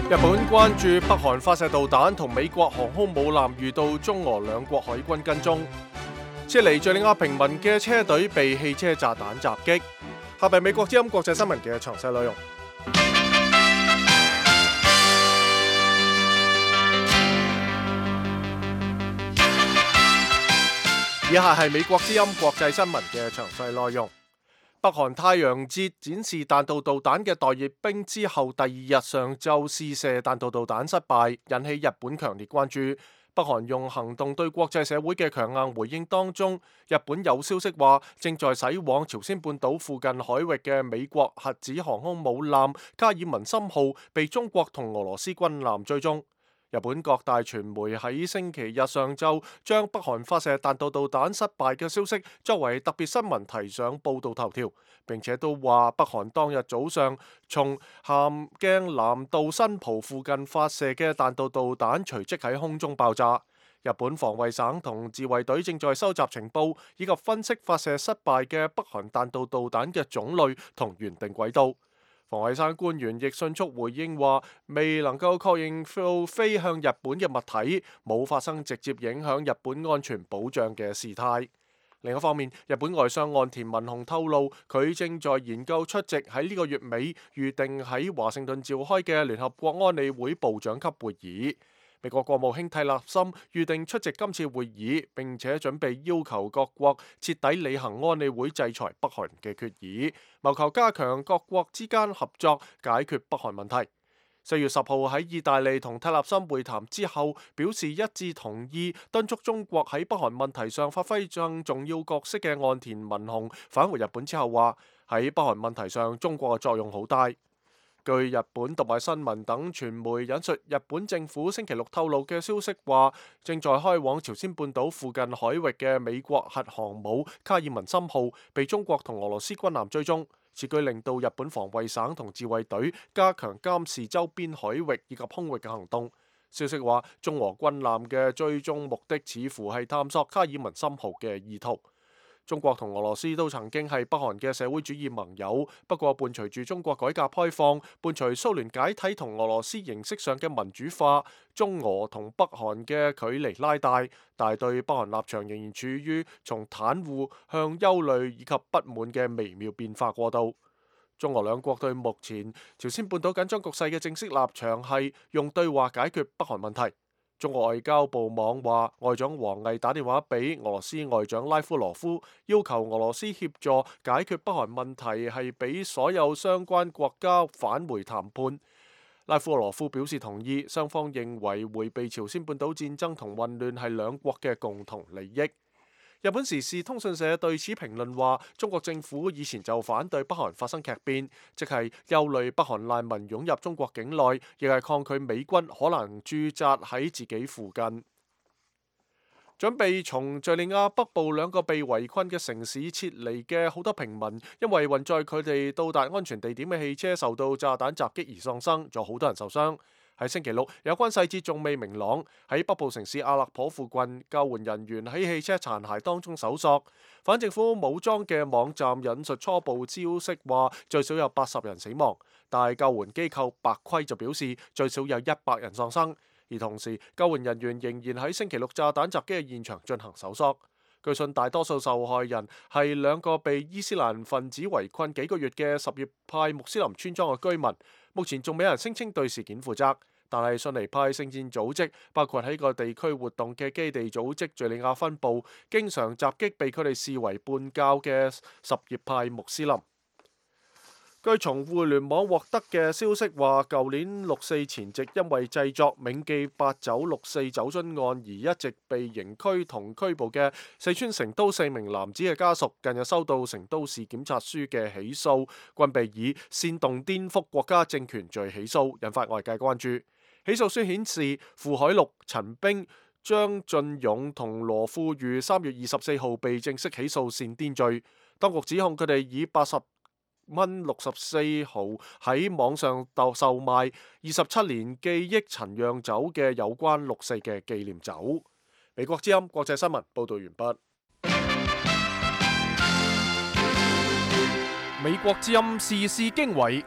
日本關注北韓發射導彈同美國航空母艦遇到中俄兩國海軍跟蹤，撤離敘利亞平民嘅車隊被汽車炸彈襲擊。下邊美國之音國際新聞嘅詳細內容。以下係美國之音國際新聞嘅詳細內容。北韓太陽節展示彈道導彈嘅待閱兵之後，第二日上晝試射彈道導彈失敗，引起日本強烈關注。北韓用行動對國際社會嘅強硬回應當中，日本有消息話正在駛往朝鮮半島附近海域嘅美國核子航空母艦卡爾文森號被中國同俄羅斯軍艦追蹤。日本各大傳媒喺星期日上晝將北韓發射彈道導彈失敗嘅消息作為特別新聞提上報導頭條，並且都話北韓當日早上從咸鏡南道新浦附近發射嘅彈道導彈隨即喺空中爆炸。日本防衛省同自衛隊正在收集情報，以及分析發射失敗嘅北韓彈道導彈嘅種類同原定軌道。防衛省官員亦迅速回應話，未能夠確認到飛向日本嘅物體冇發生直接影響日本安全保障嘅事態。另一方面，日本外相岸田文雄透露，佢正在研究出席喺呢個月尾預定喺華盛頓召開嘅聯合國安理會部長級會議。美國國務卿蒂勒森預定出席今次會議，並且準備要求各國徹底履行安理會制裁北韓嘅決議，謀求加強各國之間合作，解決北韓問題。四月十號喺意大利同蒂勒森會談之後，表示一致同意敦促中國喺北韓問題上發揮更重要角色嘅岸田文雄返回日本之後話，喺北韓問題上中國嘅作用好大。據日本讀賣新聞等傳媒引述日本政府星期六透露嘅消息話，正在開往朝鮮半島附近海域嘅美國核航母卡爾文森號被中國同俄羅斯軍艦追蹤，此舉令到日本防衛省同自衛隊加強監視周邊海域以及空域嘅行動。消息話，中俄軍艦嘅追蹤目的似乎係探索卡爾文森號嘅意圖。中國同俄羅斯都曾經係北韓嘅社會主義盟友，不過伴隨住中國改革開放，伴隨蘇聯解體同俄羅斯形式上嘅民主化，中俄同北韓嘅距離拉大，但對北韓立場仍然處於從袒護向憂慮以及不滿嘅微妙變化過渡。中俄兩國對目前朝鮮半島緊張局勢嘅正式立場係用對話解決北韓問題。中國外交部網話，外長王毅打電話俾俄羅斯外長拉夫羅夫，要求俄羅斯協助解決北韓問題，係俾所有相關國家返回談判。拉夫羅夫表示同意，雙方認為迴避朝鮮半島戰爭同混亂係兩國嘅共同利益。日本時事通訊社對此評論話，中國政府以前就反對北韓發生劇變，即係憂慮北韓難民湧入中國境內，亦係抗拒美軍可能駐紮喺自己附近。準備從敘利亞北部兩個被圍困嘅城市撤離嘅好多平民，因為運載佢哋到達安全地點嘅汽車受到炸彈襲擊而喪生，仲有好多人受傷。喺星期六，有關細節仲未明朗。喺北部城市阿勒頗附近，救援人員喺汽車殘骸當中搜索。反政府武裝嘅網站引述初步消息話，最少有八十人死亡，但係救援機構白盔就表示最少有一百人喪生。而同時，救援人員仍然喺星期六炸彈襲擊嘅現場進行搜索。據信大多數受害人係兩個被伊斯蘭分子圍困幾個月嘅什葉派穆斯林村莊嘅居民。目前仲未有人聲稱對事件負責，但係遜尼派聖戰組織，包括喺個地區活動嘅基地組織敘利亞分部，經常襲擊被佢哋視為叛教嘅什葉派穆斯林。據從互聯網獲得嘅消息話，舊年六四前夕因為製作銘記八九六四酒樽案而一直被刑拘同拘捕嘅四川成都四名男子嘅家屬，近日收到成都市檢察署嘅起訴，均被以煽動顛覆國家政權罪起訴，引發外界關注。起訴書顯示，傅海陸、陳冰、張俊勇同羅富裕三月二十四號被正式起訴煽顛罪，當局指控佢哋以八十蚊六十四毫喺網上售賣二十七年記憶陳釀酒嘅有關六四嘅紀念酒。美國之音國際新聞報道完畢。美國之音時事經緯。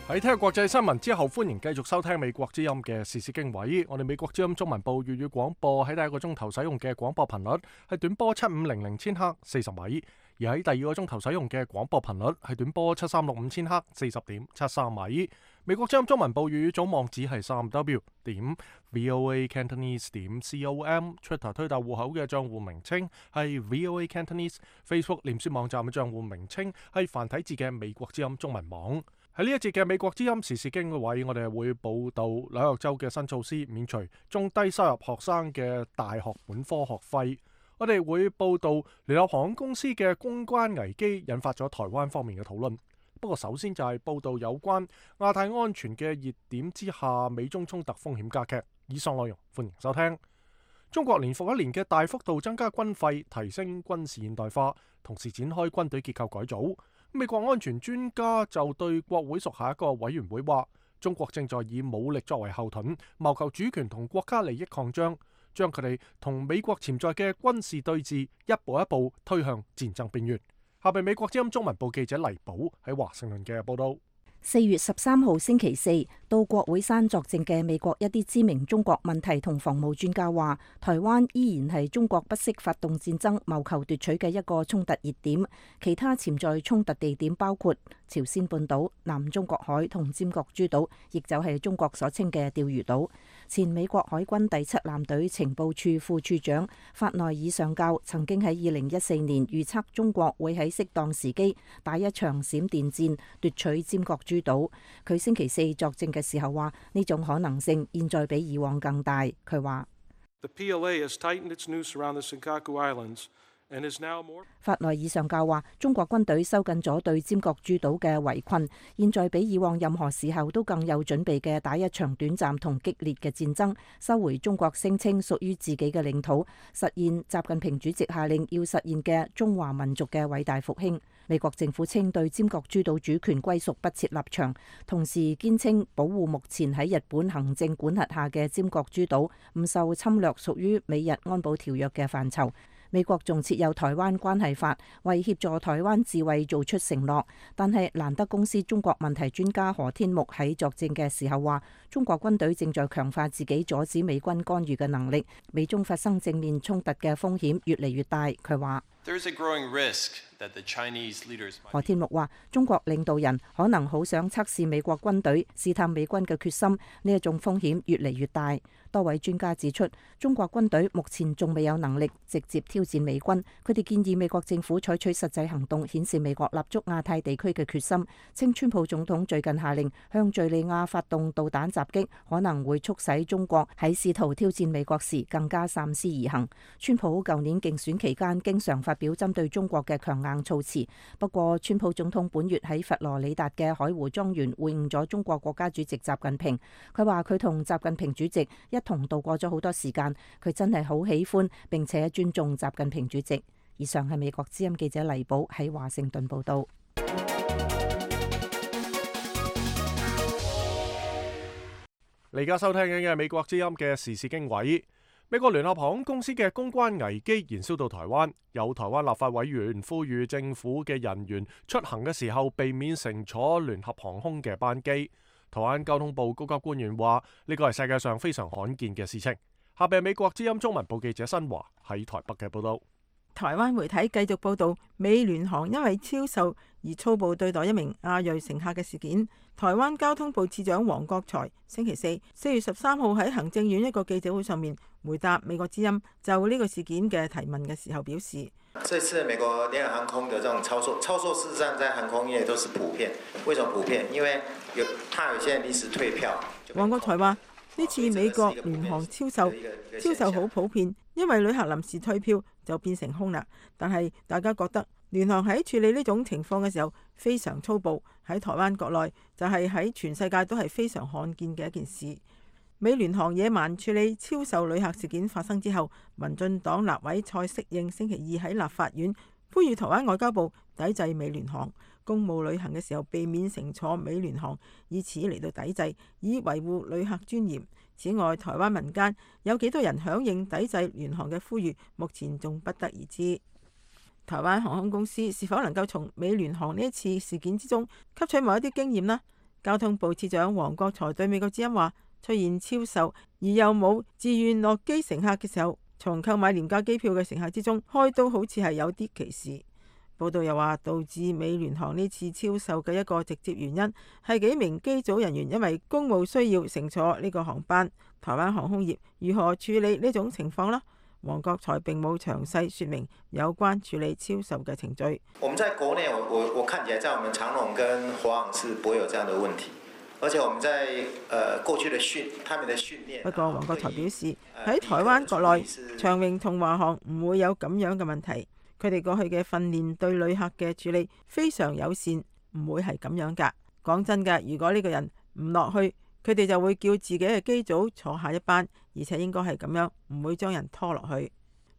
喺聽國際新聞之後，歡迎繼續收聽美國之音嘅時事經緯。我哋美國之音中文部粵語廣播喺第一個鐘頭使用嘅廣播頻率係短波七五零零千赫四十米，而喺第二個鐘頭使用嘅廣播頻率係短波七三六五千赫四十點七三米。美國之音中文部粵語總網址係三 w 點 voa cantonese 點 com，Twitter 推特戶口嘅賬戶名稱係 voa cantonese，Facebook 臉書網站嘅賬戶名稱係繁體字嘅美國之音中文網。喺呢一節嘅美國之音時事經緯，我哋會報道紐約州嘅新措施，免除中低收入學生嘅大學本科學費。我哋會報道聯合航空公司嘅公關危機引發咗台灣方面嘅討論。不過首先就係報道有關亞太安全嘅熱點之下，美中衝突風險加劇。以上內容歡迎收聽。中國年復一年嘅大幅度增加軍費，提升軍事現代化，同時展開軍隊結構改組。美國安全專家就對國會屬下一個委員會話，中國正在以武力作為後盾，謀求主權同國家利益擴張，將佢哋同美國潛在嘅軍事對峙一步一步推向戰爭邊緣。下邊美國之音中文部記者黎寶喺華盛頓嘅報道。
四月十三號星期四到國會山作證嘅美國一啲知名中國問題同防務專家話，台灣依然係中國不惜發動戰爭謀求奪取嘅一個衝突熱點，其他潛在衝突地點包括朝鮮半島、南中國海同尖閣諸島，亦就係中國所稱嘅釣魚島。前美國海軍第七艦隊情報處副處長法內爾上校曾經喺二零一四年預測中國會喺適當時機打一場閃電戰奪取尖閣諸島。佢星期四作證嘅時候話，呢種可能性現在比以往更大。佢話法內爾上校話，中國軍隊收緊咗對尖閣諸島嘅圍困，現在比以往任何時候都更有準備嘅打一場短暫同激烈嘅戰爭，收回中國聲稱屬於自己嘅領土，實現習近平主席下令要實現嘅中華民族嘅偉大復興。美國政府稱對尖閣諸島主權歸屬不設立場，同時堅稱保護目前喺日本行政管轄下嘅尖閣諸島唔受侵略，屬於美日安保條約嘅範疇。美國仲設有台灣關係法，為協助台灣自衛做出承諾。但係蘭德公司中國問題專家何天木喺作證嘅時候話，中國軍隊正在強化自己阻止美軍干預嘅能力，美中發生正面衝突嘅風險越嚟越大。佢話何天木話，中國領導人可能好想測試美國軍隊，試探美軍嘅決心，呢一種風險越嚟越大。多位專家指出，中國軍隊目前仲未有能力直接挑戰美軍，佢哋建議美國政府採取實際行動，顯示美國立足亞太地區嘅決心。稱川普總統最近下令向敘利亞發動導彈襲擊，可能會促使中國喺試圖挑戰美國時更加三思而行。川普舊年競選期間經常發表針對中國嘅強硬措辭，不過川普總統本月喺佛羅里達嘅海湖莊園會晤咗中國國家主席習近平，佢話佢同習近平主席一同度過咗好多時間，佢真係好喜歡並且尊重習近平主席。以上係美國之音記者黎寶喺華盛頓報道。
你而家收聽緊嘅美國之音嘅時事經緯。美國聯合航空公司嘅公關危機延燒到台灣，有台灣立法委員呼籲政府嘅人員出行嘅時候避免乘坐聯合航空嘅班機。台灣交通部高級官員話，呢個係世界上非常罕見嘅事情。下邊美國之音中文部記者新華喺台北嘅報道。
台灣媒體繼續報道美聯航因為超售而粗暴對待一名亞裔乘客嘅事件。台灣交通部次長黃國財星期四四月十三號喺行政院一個記者會上面回答美國之音就呢個事件嘅提問嘅時候表示，
這次美國聯合航空的這種操作，操作事實上在航空業都是普遍。為什麼普遍？因為有怕有些人臨時退票。
黃國財話：呢次美國聯航超售，超售好普遍，因為旅客臨時退票就變成空啦。但係大家覺得聯航喺處理呢種情況嘅時候非常粗暴，喺台灣國內就係喺全世界都係非常罕見嘅一件事。美聯航野蠻處理超售旅客事件發生之後，民進黨立委蔡適應星期二喺立法院呼籲台灣外交部抵制美聯航，公務旅行嘅時候避免乘坐美聯航，以此嚟到抵制，以維護旅客尊嚴。此外，台灣民間有幾多人響應抵制聯航嘅呼籲，目前仲不得而知。台灣航空公司是否能夠從美聯航呢一次事件之中吸取某一啲經驗呢？交通部次長王國材對美國之音話：出現超售而又冇自願落機乘客嘅時候，從購買廉價機票嘅乘客之中開刀，好似係有啲歧視。報道又話，導致美聯航呢次超售嘅一個直接原因係幾名機組人員因為公務需要乘坐呢個航班。台灣航空業如何處理呢種情況呢？王國材並冇詳細說明有關處理超售嘅程序。
我們在國內，我我我看起來，在我們長榮跟華航是不會有這樣的問題，而且我們在呃過去的訓，他們的訓練。
不過王國材表示，喺台灣國內，長榮同華航唔會有咁樣嘅問題。佢哋過去嘅訓練對旅客嘅處理非常友善，唔會係咁樣㗎。講真㗎，如果呢個人唔落去，佢哋就會叫自己嘅機組坐下一班，而且應該係咁樣，唔會將人拖落去。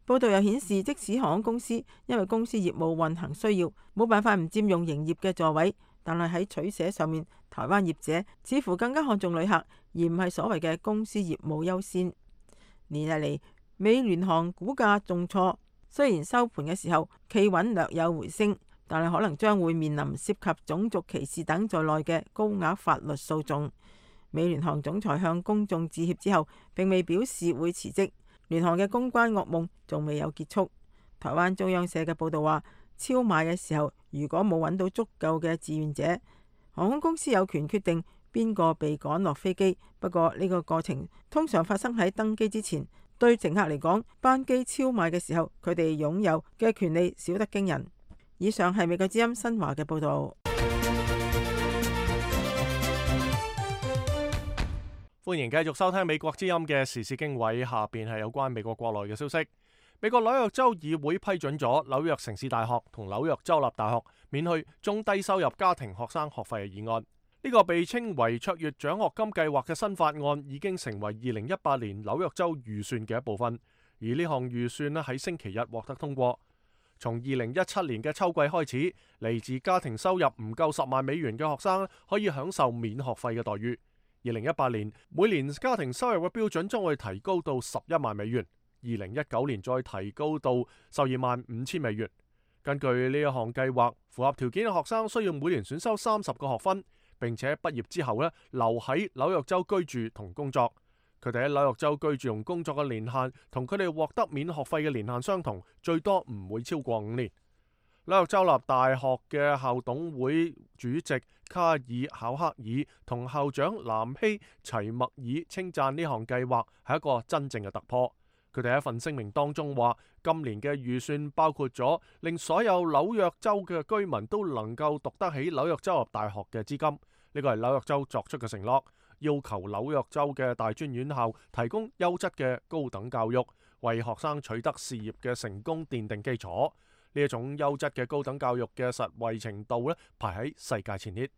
報道又顯示，即使航空公司因為公司業務運行需要，冇辦法唔佔用營業嘅座位，但係喺取捨上面，台灣業者似乎更加看重旅客，而唔係所謂嘅公司業務優先。連日嚟，美聯航股價重挫，雖然收盤嘅時候企穩略有回升，但係可能將會面臨涉及種族歧視等在內嘅高額法律訴訟。美聯航總裁向公眾致歉之後，並未表示會辭職。聯航嘅公關噩夢仲未有結束。台灣中央社嘅報道話，超賣嘅時候如果冇揾到足夠嘅志願者，航空公司有權決定邊個被趕落飛機。不過呢個過程通常發生喺登機之前。對乘客嚟講，班機超賣嘅時候，佢哋擁有嘅權利少得驚人。以上係美國之音新華嘅報道。
歡迎繼續收聽美國之音嘅時事經緯，下邊係有關美國國內嘅消息。美國紐約州議會批准咗紐約城市大學同紐約州立大學免去中低收入家庭學生學費嘅議案。呢個被稱為卓越獎學金計劃嘅新法案已經成為二零一八年紐約州預算嘅一部分，而呢項預算咧喺星期日獲得通過。從二零一七年嘅秋季開始，嚟自家庭收入唔夠十萬美元嘅學生可以享受免學費嘅待遇。二零一八年每年家庭收入嘅標準將會提高到十一萬美元，二零一九年再提高到十二萬五千美元。根據呢一項計劃，符合條件嘅學生需要每年選修三十個學分，並且畢業之後咧留喺紐約州居住同工作。佢哋喺紐約州居住同工作嘅年限同佢哋獲得免學費嘅年限相同，最多唔會超過五年。紐約州立大學嘅校董會主席卡爾考克爾同校長南希齊默爾稱讚呢項計劃係一個真正嘅突破。佢哋喺一份聲明當中話，今年嘅預算包括咗令所有紐約州嘅居民都能夠讀得起紐約州立大學嘅資金。呢個係紐約州作出嘅承諾，要求紐約州嘅大專院校提供優質嘅高等教育，為學生取得事業嘅成功奠定基礎。呢一種優質嘅高等教育嘅實惠程度咧，排喺世界前列。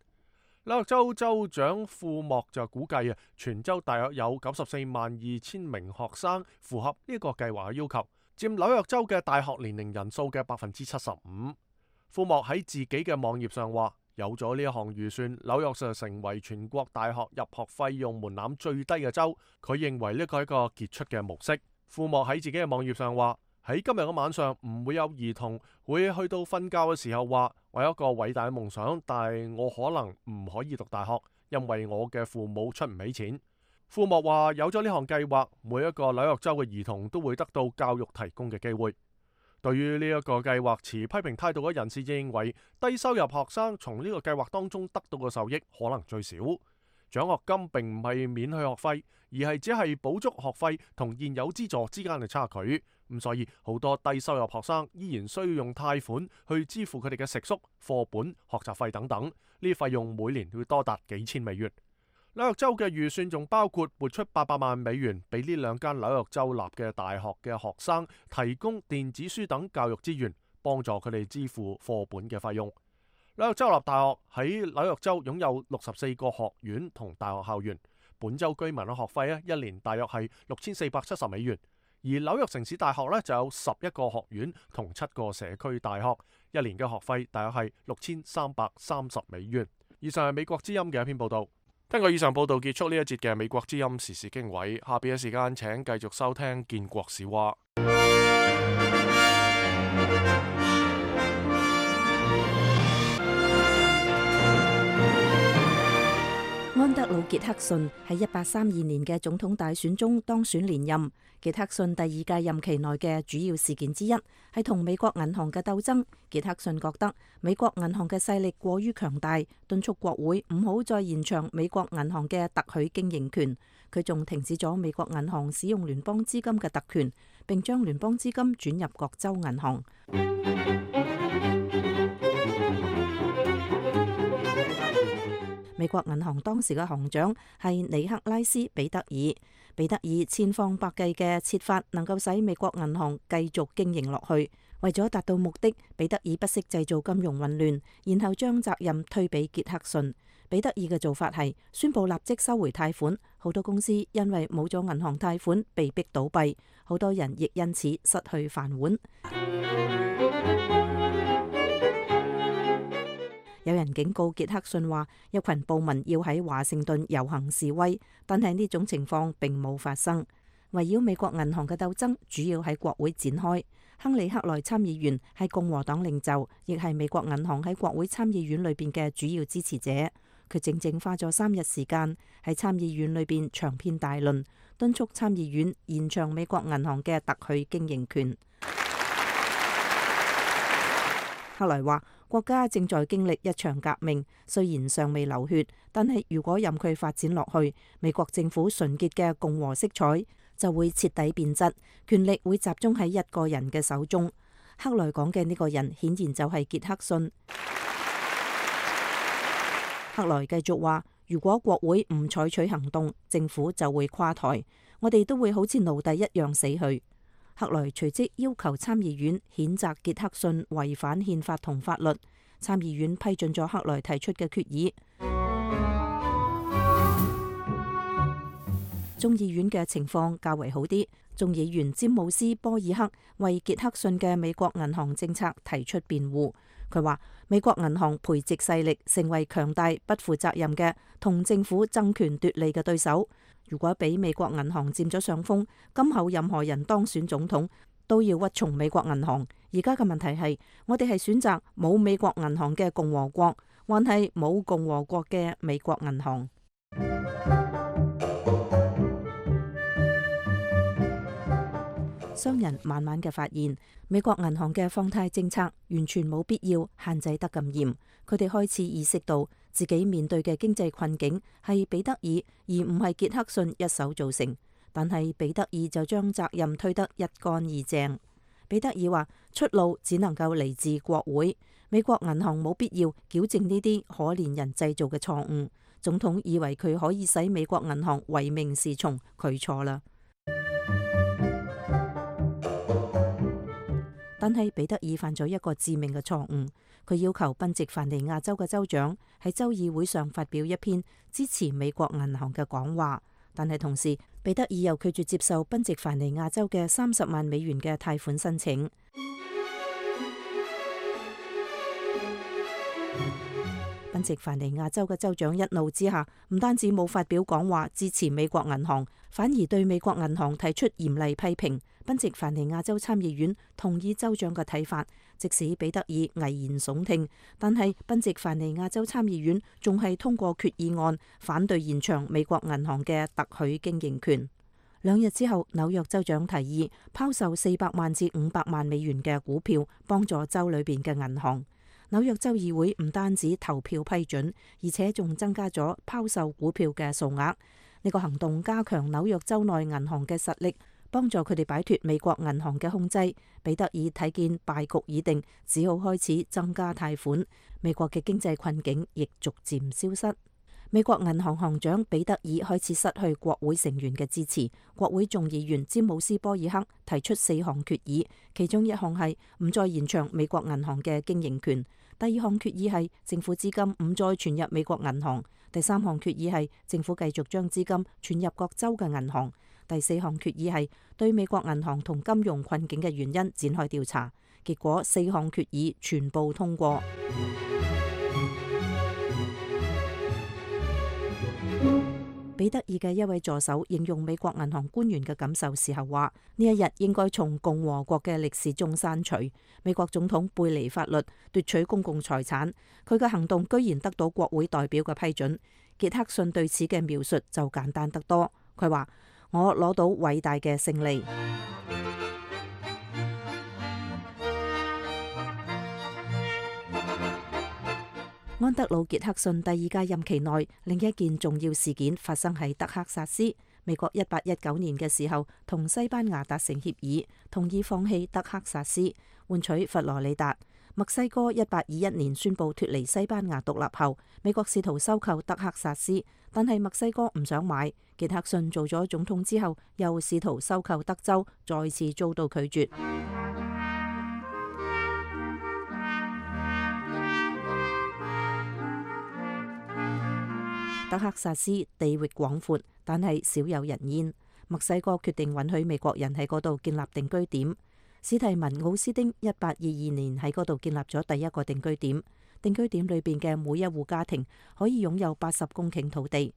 紐約州州長庫莫就估計啊，全州大約有九十四萬二千名學生符合呢個計劃嘅要求，佔紐約州嘅大學年齡人數嘅百分之七十五。庫莫喺自己嘅網頁上話，有咗呢一項預算，紐約就成為全國大學入學費用門檻最低嘅州。佢認為呢個係一個傑出嘅模式。庫莫喺自己嘅網頁上話，喺今日嘅晚上唔會有兒童會去到瞓覺嘅時候話，我有一個偉大嘅夢想，但係我可能唔可以讀大學，因為我嘅父母出唔起錢。庫莫話，有咗呢項計劃，每一個紐約州嘅兒童都會得到教育提供嘅機會。對於呢一個計劃持批評態度嘅人士認為，低收入學生從呢個計劃當中得到嘅受益可能最少。獎學金並唔係免去學費，而係只係補足學費同現有資助之間嘅差距。咁所以好多低收入學生依然需要用貸款去支付佢哋嘅食宿、課本、學習費等等，呢啲費用每年會多達幾千美元。紐約州嘅預算仲包括撥出八百萬美元俾呢兩間紐約州立嘅大學嘅學生提供電子書等教育資源，幫助佢哋支付課本嘅費用。紐約州立大學喺紐約州擁有六十四個學院同大學校園，本州居民嘅學費啊，一年大約係六千四百七十美元。而紐約城市大學呢，就有十一個學院同七個社區大學，一年嘅學費大約係六千三百三十美元。以上係美國之音嘅一篇報道。聽過以上報道，結束呢一節嘅美國之音時事經緯。下邊嘅時間請繼續收聽建國史話。
安德魯·傑克遜喺一八三二年嘅總統大選中當選連任。傑克遜第二屆任期內嘅主要事件之一係同美國銀行嘅鬥爭。傑克遜覺得美國銀行嘅勢力過於強大，敦促國會唔好再延長美國銀行嘅特許經營權。佢仲停止咗美國銀行使用聯邦資金嘅特權，並將聯邦資金轉入各州銀行。美國銀行當時嘅行長係尼克拉斯·彼得爾。彼得爾千方百計嘅設法能夠使美國銀行繼續經營落去。為咗達到目的，彼得爾不惜製造金融混亂，然後將責任推俾傑克遜。彼得爾嘅做法係宣布立即收回貸款，好多公司因為冇咗銀行貸款被逼倒閉，好多人亦因此失去飯碗。有人警告傑克遜話，一群暴民要喺華盛頓遊行示威，但係呢種情況並冇發生。圍繞美國銀行嘅鬥爭主要喺國會展開。亨利·克萊參議員係共和黨領袖，亦係美國銀行喺國會參議院裏邊嘅主要支持者。佢整整花咗三日時間喺參議院裏邊長篇大論，敦促參議院延長美國銀行嘅特許經營權。克萊話：國家正在經歷一場革命，雖然尚未流血，但係如果任佢發展落去，美國政府純潔嘅共和色彩就會徹底變質，權力會集中喺一個人嘅手中。克萊講嘅呢個人顯然就係傑克遜。克萊繼續話：如果國會唔採取行動，政府就會垮台，我哋都會好似奴隸一樣死去。克萊隨即要求參議院譴責傑克遜違反憲法同法律。參議院批准咗克萊提出嘅決議。眾議院嘅情況較為好啲，眾議員詹姆斯·波爾克為傑克遜嘅美國銀行政策提出辯護。佢話美國銀行培植勢力，成為強大不負責任嘅同政府爭權奪利嘅對手。如果俾美國銀行佔咗上風，今後任何人當選總統都要屈從美國銀行。而家嘅問題係，我哋係選擇冇美國銀行嘅共和國，還係冇共和國嘅美國銀行？商人慢慢嘅發現，美國銀行嘅放貸政策完全冇必要限制得咁嚴。佢哋開始意識到自己面對嘅經濟困境係彼得爾而唔係傑克遜一手造成，但係彼得爾就將責任推得一乾二淨。彼得爾話：出路只能夠嚟自國會，美國銀行冇必要矯正呢啲可憐人製造嘅錯誤。總統以為佢可以使美國銀行唯命是從，佢錯啦。但係彼得爾犯咗一個致命嘅錯誤，佢要求賓夕凡尼亞州嘅州長喺州議會上發表一篇支持美國銀行嘅講話，但係同時彼得爾又拒絕接受賓夕凡尼亞州嘅三十萬美元嘅貸款申請。賓夕凡尼亞州嘅州長一怒之下，唔單止冇發表講話支持美國銀行，反而對美國銀行提出嚴厲批評。賓夕凡尼亞州參議院同意州長嘅睇法，即使彼得爾危言聳聽，但係賓夕凡尼亞州參議院仲係通過決議案，反對延長美國銀行嘅特許經營權。兩日之後，紐約州長提議拋售四百萬至五百萬美元嘅股票，幫助州裏邊嘅銀行。紐約州議會唔單止投票批准，而且仲增加咗拋售股票嘅數額。呢個行動加強紐約州內銀行嘅實力，幫助佢哋擺脫美國銀行嘅控制。彼得爾睇見敗局已定，只好開始增加貸款。美國嘅經濟困境亦逐漸消失。美國銀行行長彼得爾開始失去國會成員嘅支持。國會眾議員詹姆斯·波爾克提出四項決議，其中一項係唔再延長美國銀行嘅經營權。第二項決議係政府資金唔再存入美國銀行。第三項決議係政府繼續將資金存入各州嘅銀行。第四項決議係對美國銀行同金融困境嘅原因展開調查。結果四項決議全部通過。彼得爾嘅一位助手形容美國銀行官員嘅感受時候話：呢一日應該從共和國嘅歷史中刪除。美國總統背離法律，奪取公共財產，佢嘅行動居然得到國會代表嘅批准。傑克遜對此嘅描述就簡單得多，佢話：我攞到偉大嘅勝利。安德魯·傑克遜第二屆任期內，另一件重要事件發生喺德克薩斯。美國一八一九年嘅時候，同西班牙達成協議，同意放棄德克薩斯，換取佛羅里達。墨西哥一八二一年宣布脫離西班牙獨立後，美國試圖收購德克薩斯，但係墨西哥唔想買。傑克遜做咗總統之後，又試圖收購德州，再次遭到拒絕。德克薩斯地域廣闊，但係少有人煙。墨西哥決定允許美國人喺嗰度建立定居點。史提文奧斯丁一八二二年喺嗰度建立咗第一個定居點。定居點裏邊嘅每一戶家庭可以擁有八十公頃土地。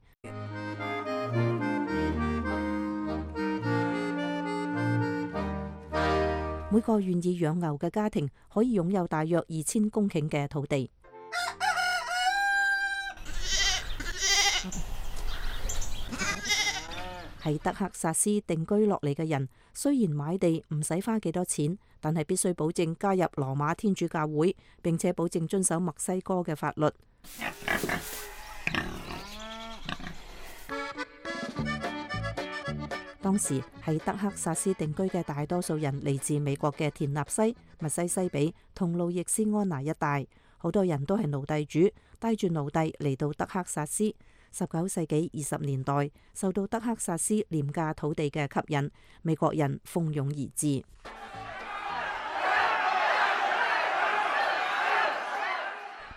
每個願意養牛嘅家庭可以擁有大約二千公頃嘅土地。喺德克薩斯定居落嚟嘅人，雖然買地唔使花幾多錢，但係必須保證加入羅馬天主教會，並且保證遵守墨西哥嘅法律。當時喺德克薩斯定居嘅大多數人嚟自美國嘅田納西、密西西比同路易斯安那一帶，好多人都係奴隸主，帶住奴隸嚟到德克薩斯。十九世紀二十年代，受到德克薩斯廉價土地嘅吸引，美國人蜂擁而至。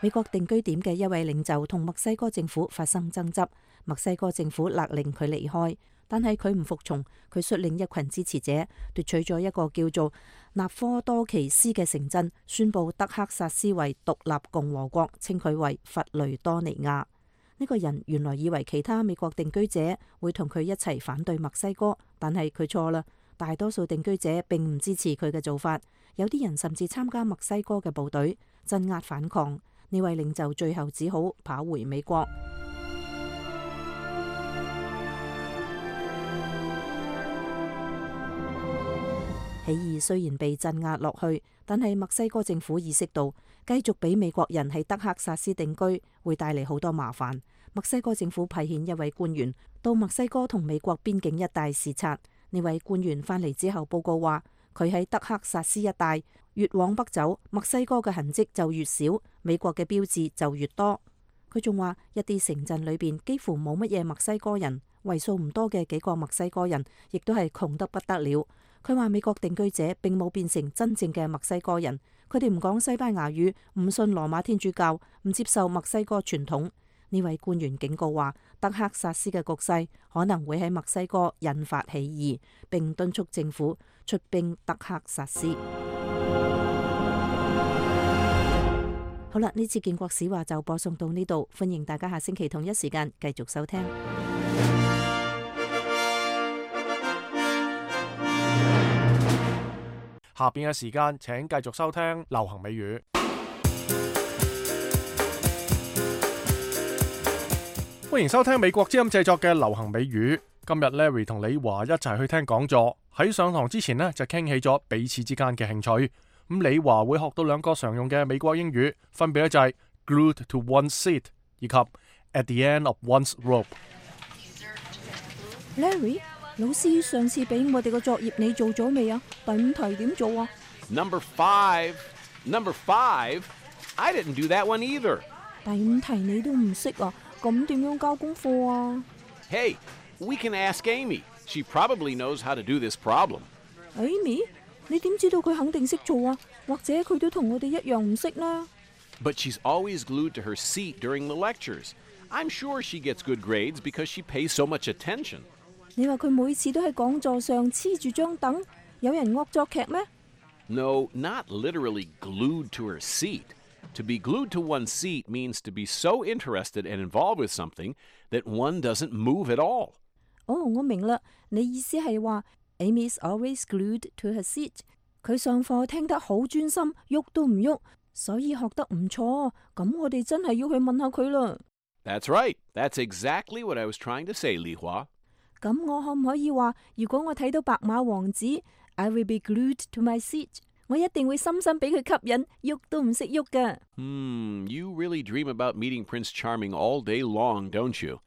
美國定居點嘅一位領袖同墨西哥政府發生爭執，墨西哥政府勒令佢離開，但係佢唔服從，佢率領一群支持者奪取咗一個叫做納科多奇斯嘅城鎮，宣布德克薩斯為獨立共和國，稱佢為佛雷多尼亞。呢個人原來以為其他美國定居者會同佢一齊反對墨西哥，但係佢錯啦。大多數定居者並唔支持佢嘅做法，有啲人甚至參加墨西哥嘅部隊鎮壓反抗。呢位領袖最後只好跑回美國。起義雖然被鎮壓落去，但係墨西哥政府意識到繼續俾美國人喺德克薩斯定居會帶嚟好多麻煩。墨西哥政府派遣一位官員到墨西哥同美國邊境一帶視察。呢位官員返嚟之後報告話，佢喺德克薩斯一帶越往北走，墨西哥嘅痕跡就越少，美國嘅標誌就越多。佢仲話一啲城鎮裏邊幾乎冇乜嘢墨西哥人，為數唔多嘅幾個墨西哥人亦都係窮得不得了。佢話美國定居者並冇變成真正嘅墨西哥人，佢哋唔講西班牙語，唔信羅馬天主教，唔接受墨西哥傳統。呢位官員警告話，德克薩斯嘅局勢可能會喺墨西哥引發起義，並敦促政府出兵德克薩斯。好啦，呢次建國史話就播送到呢度，歡迎大家下星期同一時間繼續收聽。
下邊嘅時間請繼續收聽流行美語。歡迎收聽美國之音製作嘅流行美語。今日 Larry 同李華一齊去聽講座。喺上堂之前呢，就傾起咗彼此之間嘅興趣。咁李華會學到兩個常用嘅美國英語，分別咧就係 glued to one's seat 以及 at the end of one's rope。
Larry， 老師上次俾我哋個作業你做咗未啊？第五題點做啊？
Number five. Number five. I didn't do that one either.
第五題你都唔識啊？咁點樣交功課啊？
Hey, we can ask Amy. She probably knows how to do this problem.
Amy， 你點知道佢肯定識做啊？或者佢都同我哋一樣唔識呢？
But she's always glued to her seat during the lectures. I'm sure she gets good grades because she pays so much attention.
你話佢每次都喺講座上黐住張凳，有人惡作劇咩？
No, not literally glued to her seat. To be glued to one's seat means to be so interested and involved with something that one doesn't move at all.
哦，我明啦，你意思係話 Amy is always glued to her seat。佢上課聽得好專心，喐都唔喐，所以學得唔錯。咁我哋真係要去問下佢啦。
That's right. That's exactly what I was trying to say, Li Hua.
咁我可唔可以話，如果我睇到白馬王子 I will be glued to my seat， 我一定會深深俾佢吸引，喐都唔識喐㗎。
Hmm, you really dream about meeting Prince Charming all day long, don't you?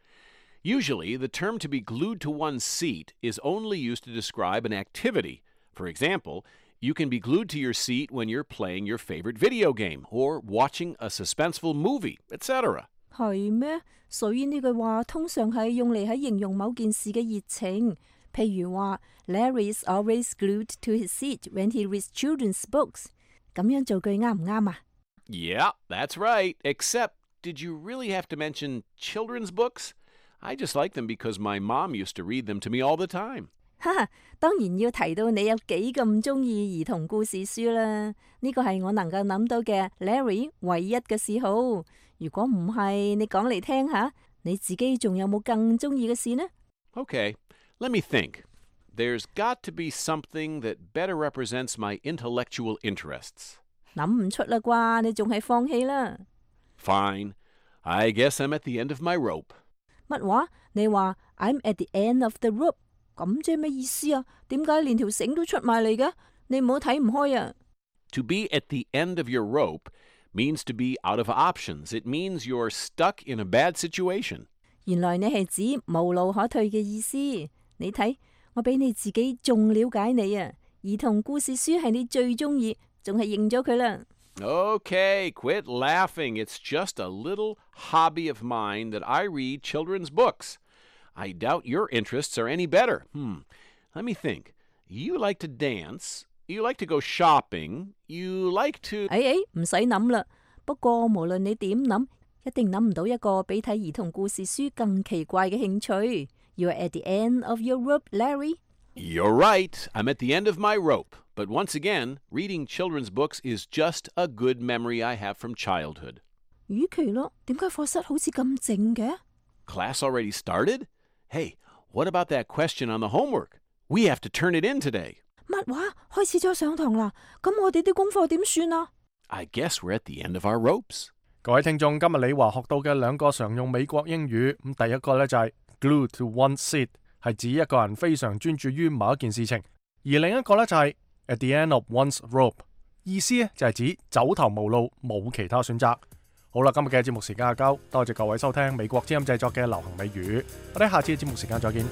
Usually, the term to be glued to one's seat is only used to describe an activity. For example, you can be glued to your seat when you're playing your favorite video game or watching a suspenseful movie, et cetera.
係咩？所以呢句話通常係用嚟喺形容某件事嘅熱情。譬如話 Larry is always glued to his seat when he reads children's books。咁樣造句啱唔啱啊？
Yeah, that's right. Except, did you really have to mention children's books? I just like them because my mom used to read them to me all the time.
哈哈，當然要提到你有幾咁中意兒童故事書啦。呢個係我能夠諗到嘅 Larry 唯一嘅嗜好。如果唔係，你講嚟聽下，你自己仲有冇更中意嘅事呢？
Okay, let me think. There's got to be something that better represents my intellectual interests.
諗唔出啦啩，你仲係放棄啦。
Fine. I guess I'm at the end of my rope.
乜話？你話 I'm at the end of the rope， 咁即係咩意思啊？點解連條繩都出埋嚟嘅？你唔好睇唔開啊！
To be at the end of your rope means to be out of options. It means you're stuck in a bad situation.
原來你係指無路可退嘅意思。你睇，我比你自己仲了解你啊！兒童故事書係你最中意，仲係認咗佢啦。
Okay, quit laughing. It's just a little hobby of mine that I read children's books. I doubt your interests are any better. Hmm. Let me think. You like to dance. You like to go shopping. You like to...
哎哎，唔使諗啦。不過無論你點諗，一定諗唔到一個比睇兒童故事書更奇怪嘅興趣。You're at the end of your rope, Larry.
You're right. I'm at the end of my rope. But once again, reading children's books is just a good memory I have from childhood.
與其咯，點解課室好似咁靜嘅？
Class already started? Hey, what about that question on the homework? We have to turn it in today.
乜話？開始咗上堂啦？咁我哋啲功課點算啊？
I guess we're at the end of our ropes.
各位聽眾，今日李華學到嘅兩個常用美國英語，咁第一個呢就係 glued to one's seat，係指一個人非常專注於某一件事情，而另一個呢就係 at the end of one's rope， 意思呢就係指走投無路，冇其他選擇。好啦，今日嘅節目時間就夠，多謝各位收聽美國之音製作嘅流行美語，我哋下次嘅節目時間再見。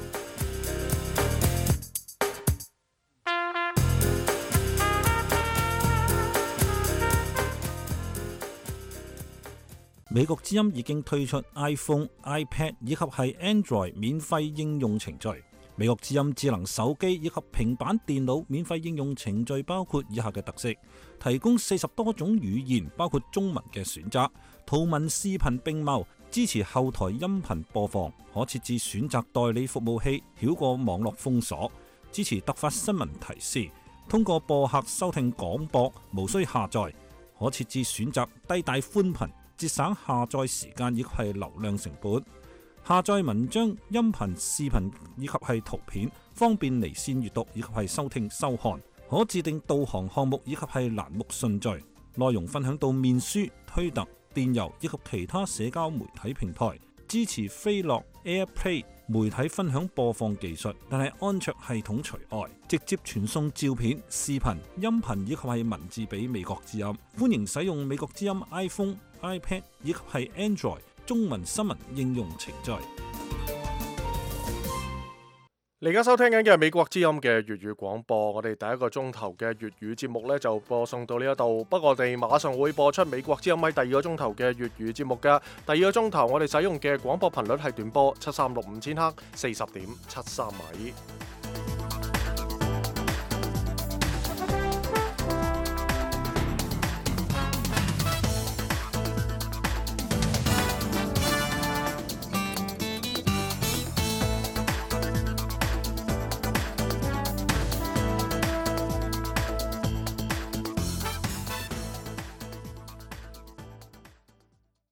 美國之音已經推出 iPhone、iPad 以及係 Android 免費應用程序。美國之音智能手機以及平板電腦免費應用程序包括以下嘅特色：提供四十多種語言，包括中文嘅選擇，圖文視頻並茂，支持後台音頻播放，可設置選擇代理服務器，繞過網絡封鎖，支持突發新聞提示，通過播客收聽廣播，無需下載，可設置選擇低帶寬頻，節省下載時間以及係流量成本。下載文章、音頻、視頻以及係圖片，方便離線閱讀以及係收聽收看。可自定導航項目以及係欄目順序。內容分享到面書、推特、電郵以及其他社交媒體平台。支持飛樂 AirPlay 媒體分享播放技術，但係安卓系統除外。直接傳送照片、視頻、音頻以及係文字俾美國之音。歡迎使用美國之音 iPhone、iPad 以及係 Android 中文新聞應用程序。
你而家收聽緊嘅係美國之音嘅粵語廣播，我哋第一個鐘頭嘅粵語節目呢就播送到呢一度，不過我哋馬上會播出美國之音喺第二個鐘頭嘅粵語節目嘅。第二個鐘頭我哋使用嘅廣播頻率係短波七三六五千赫，四十點七三米。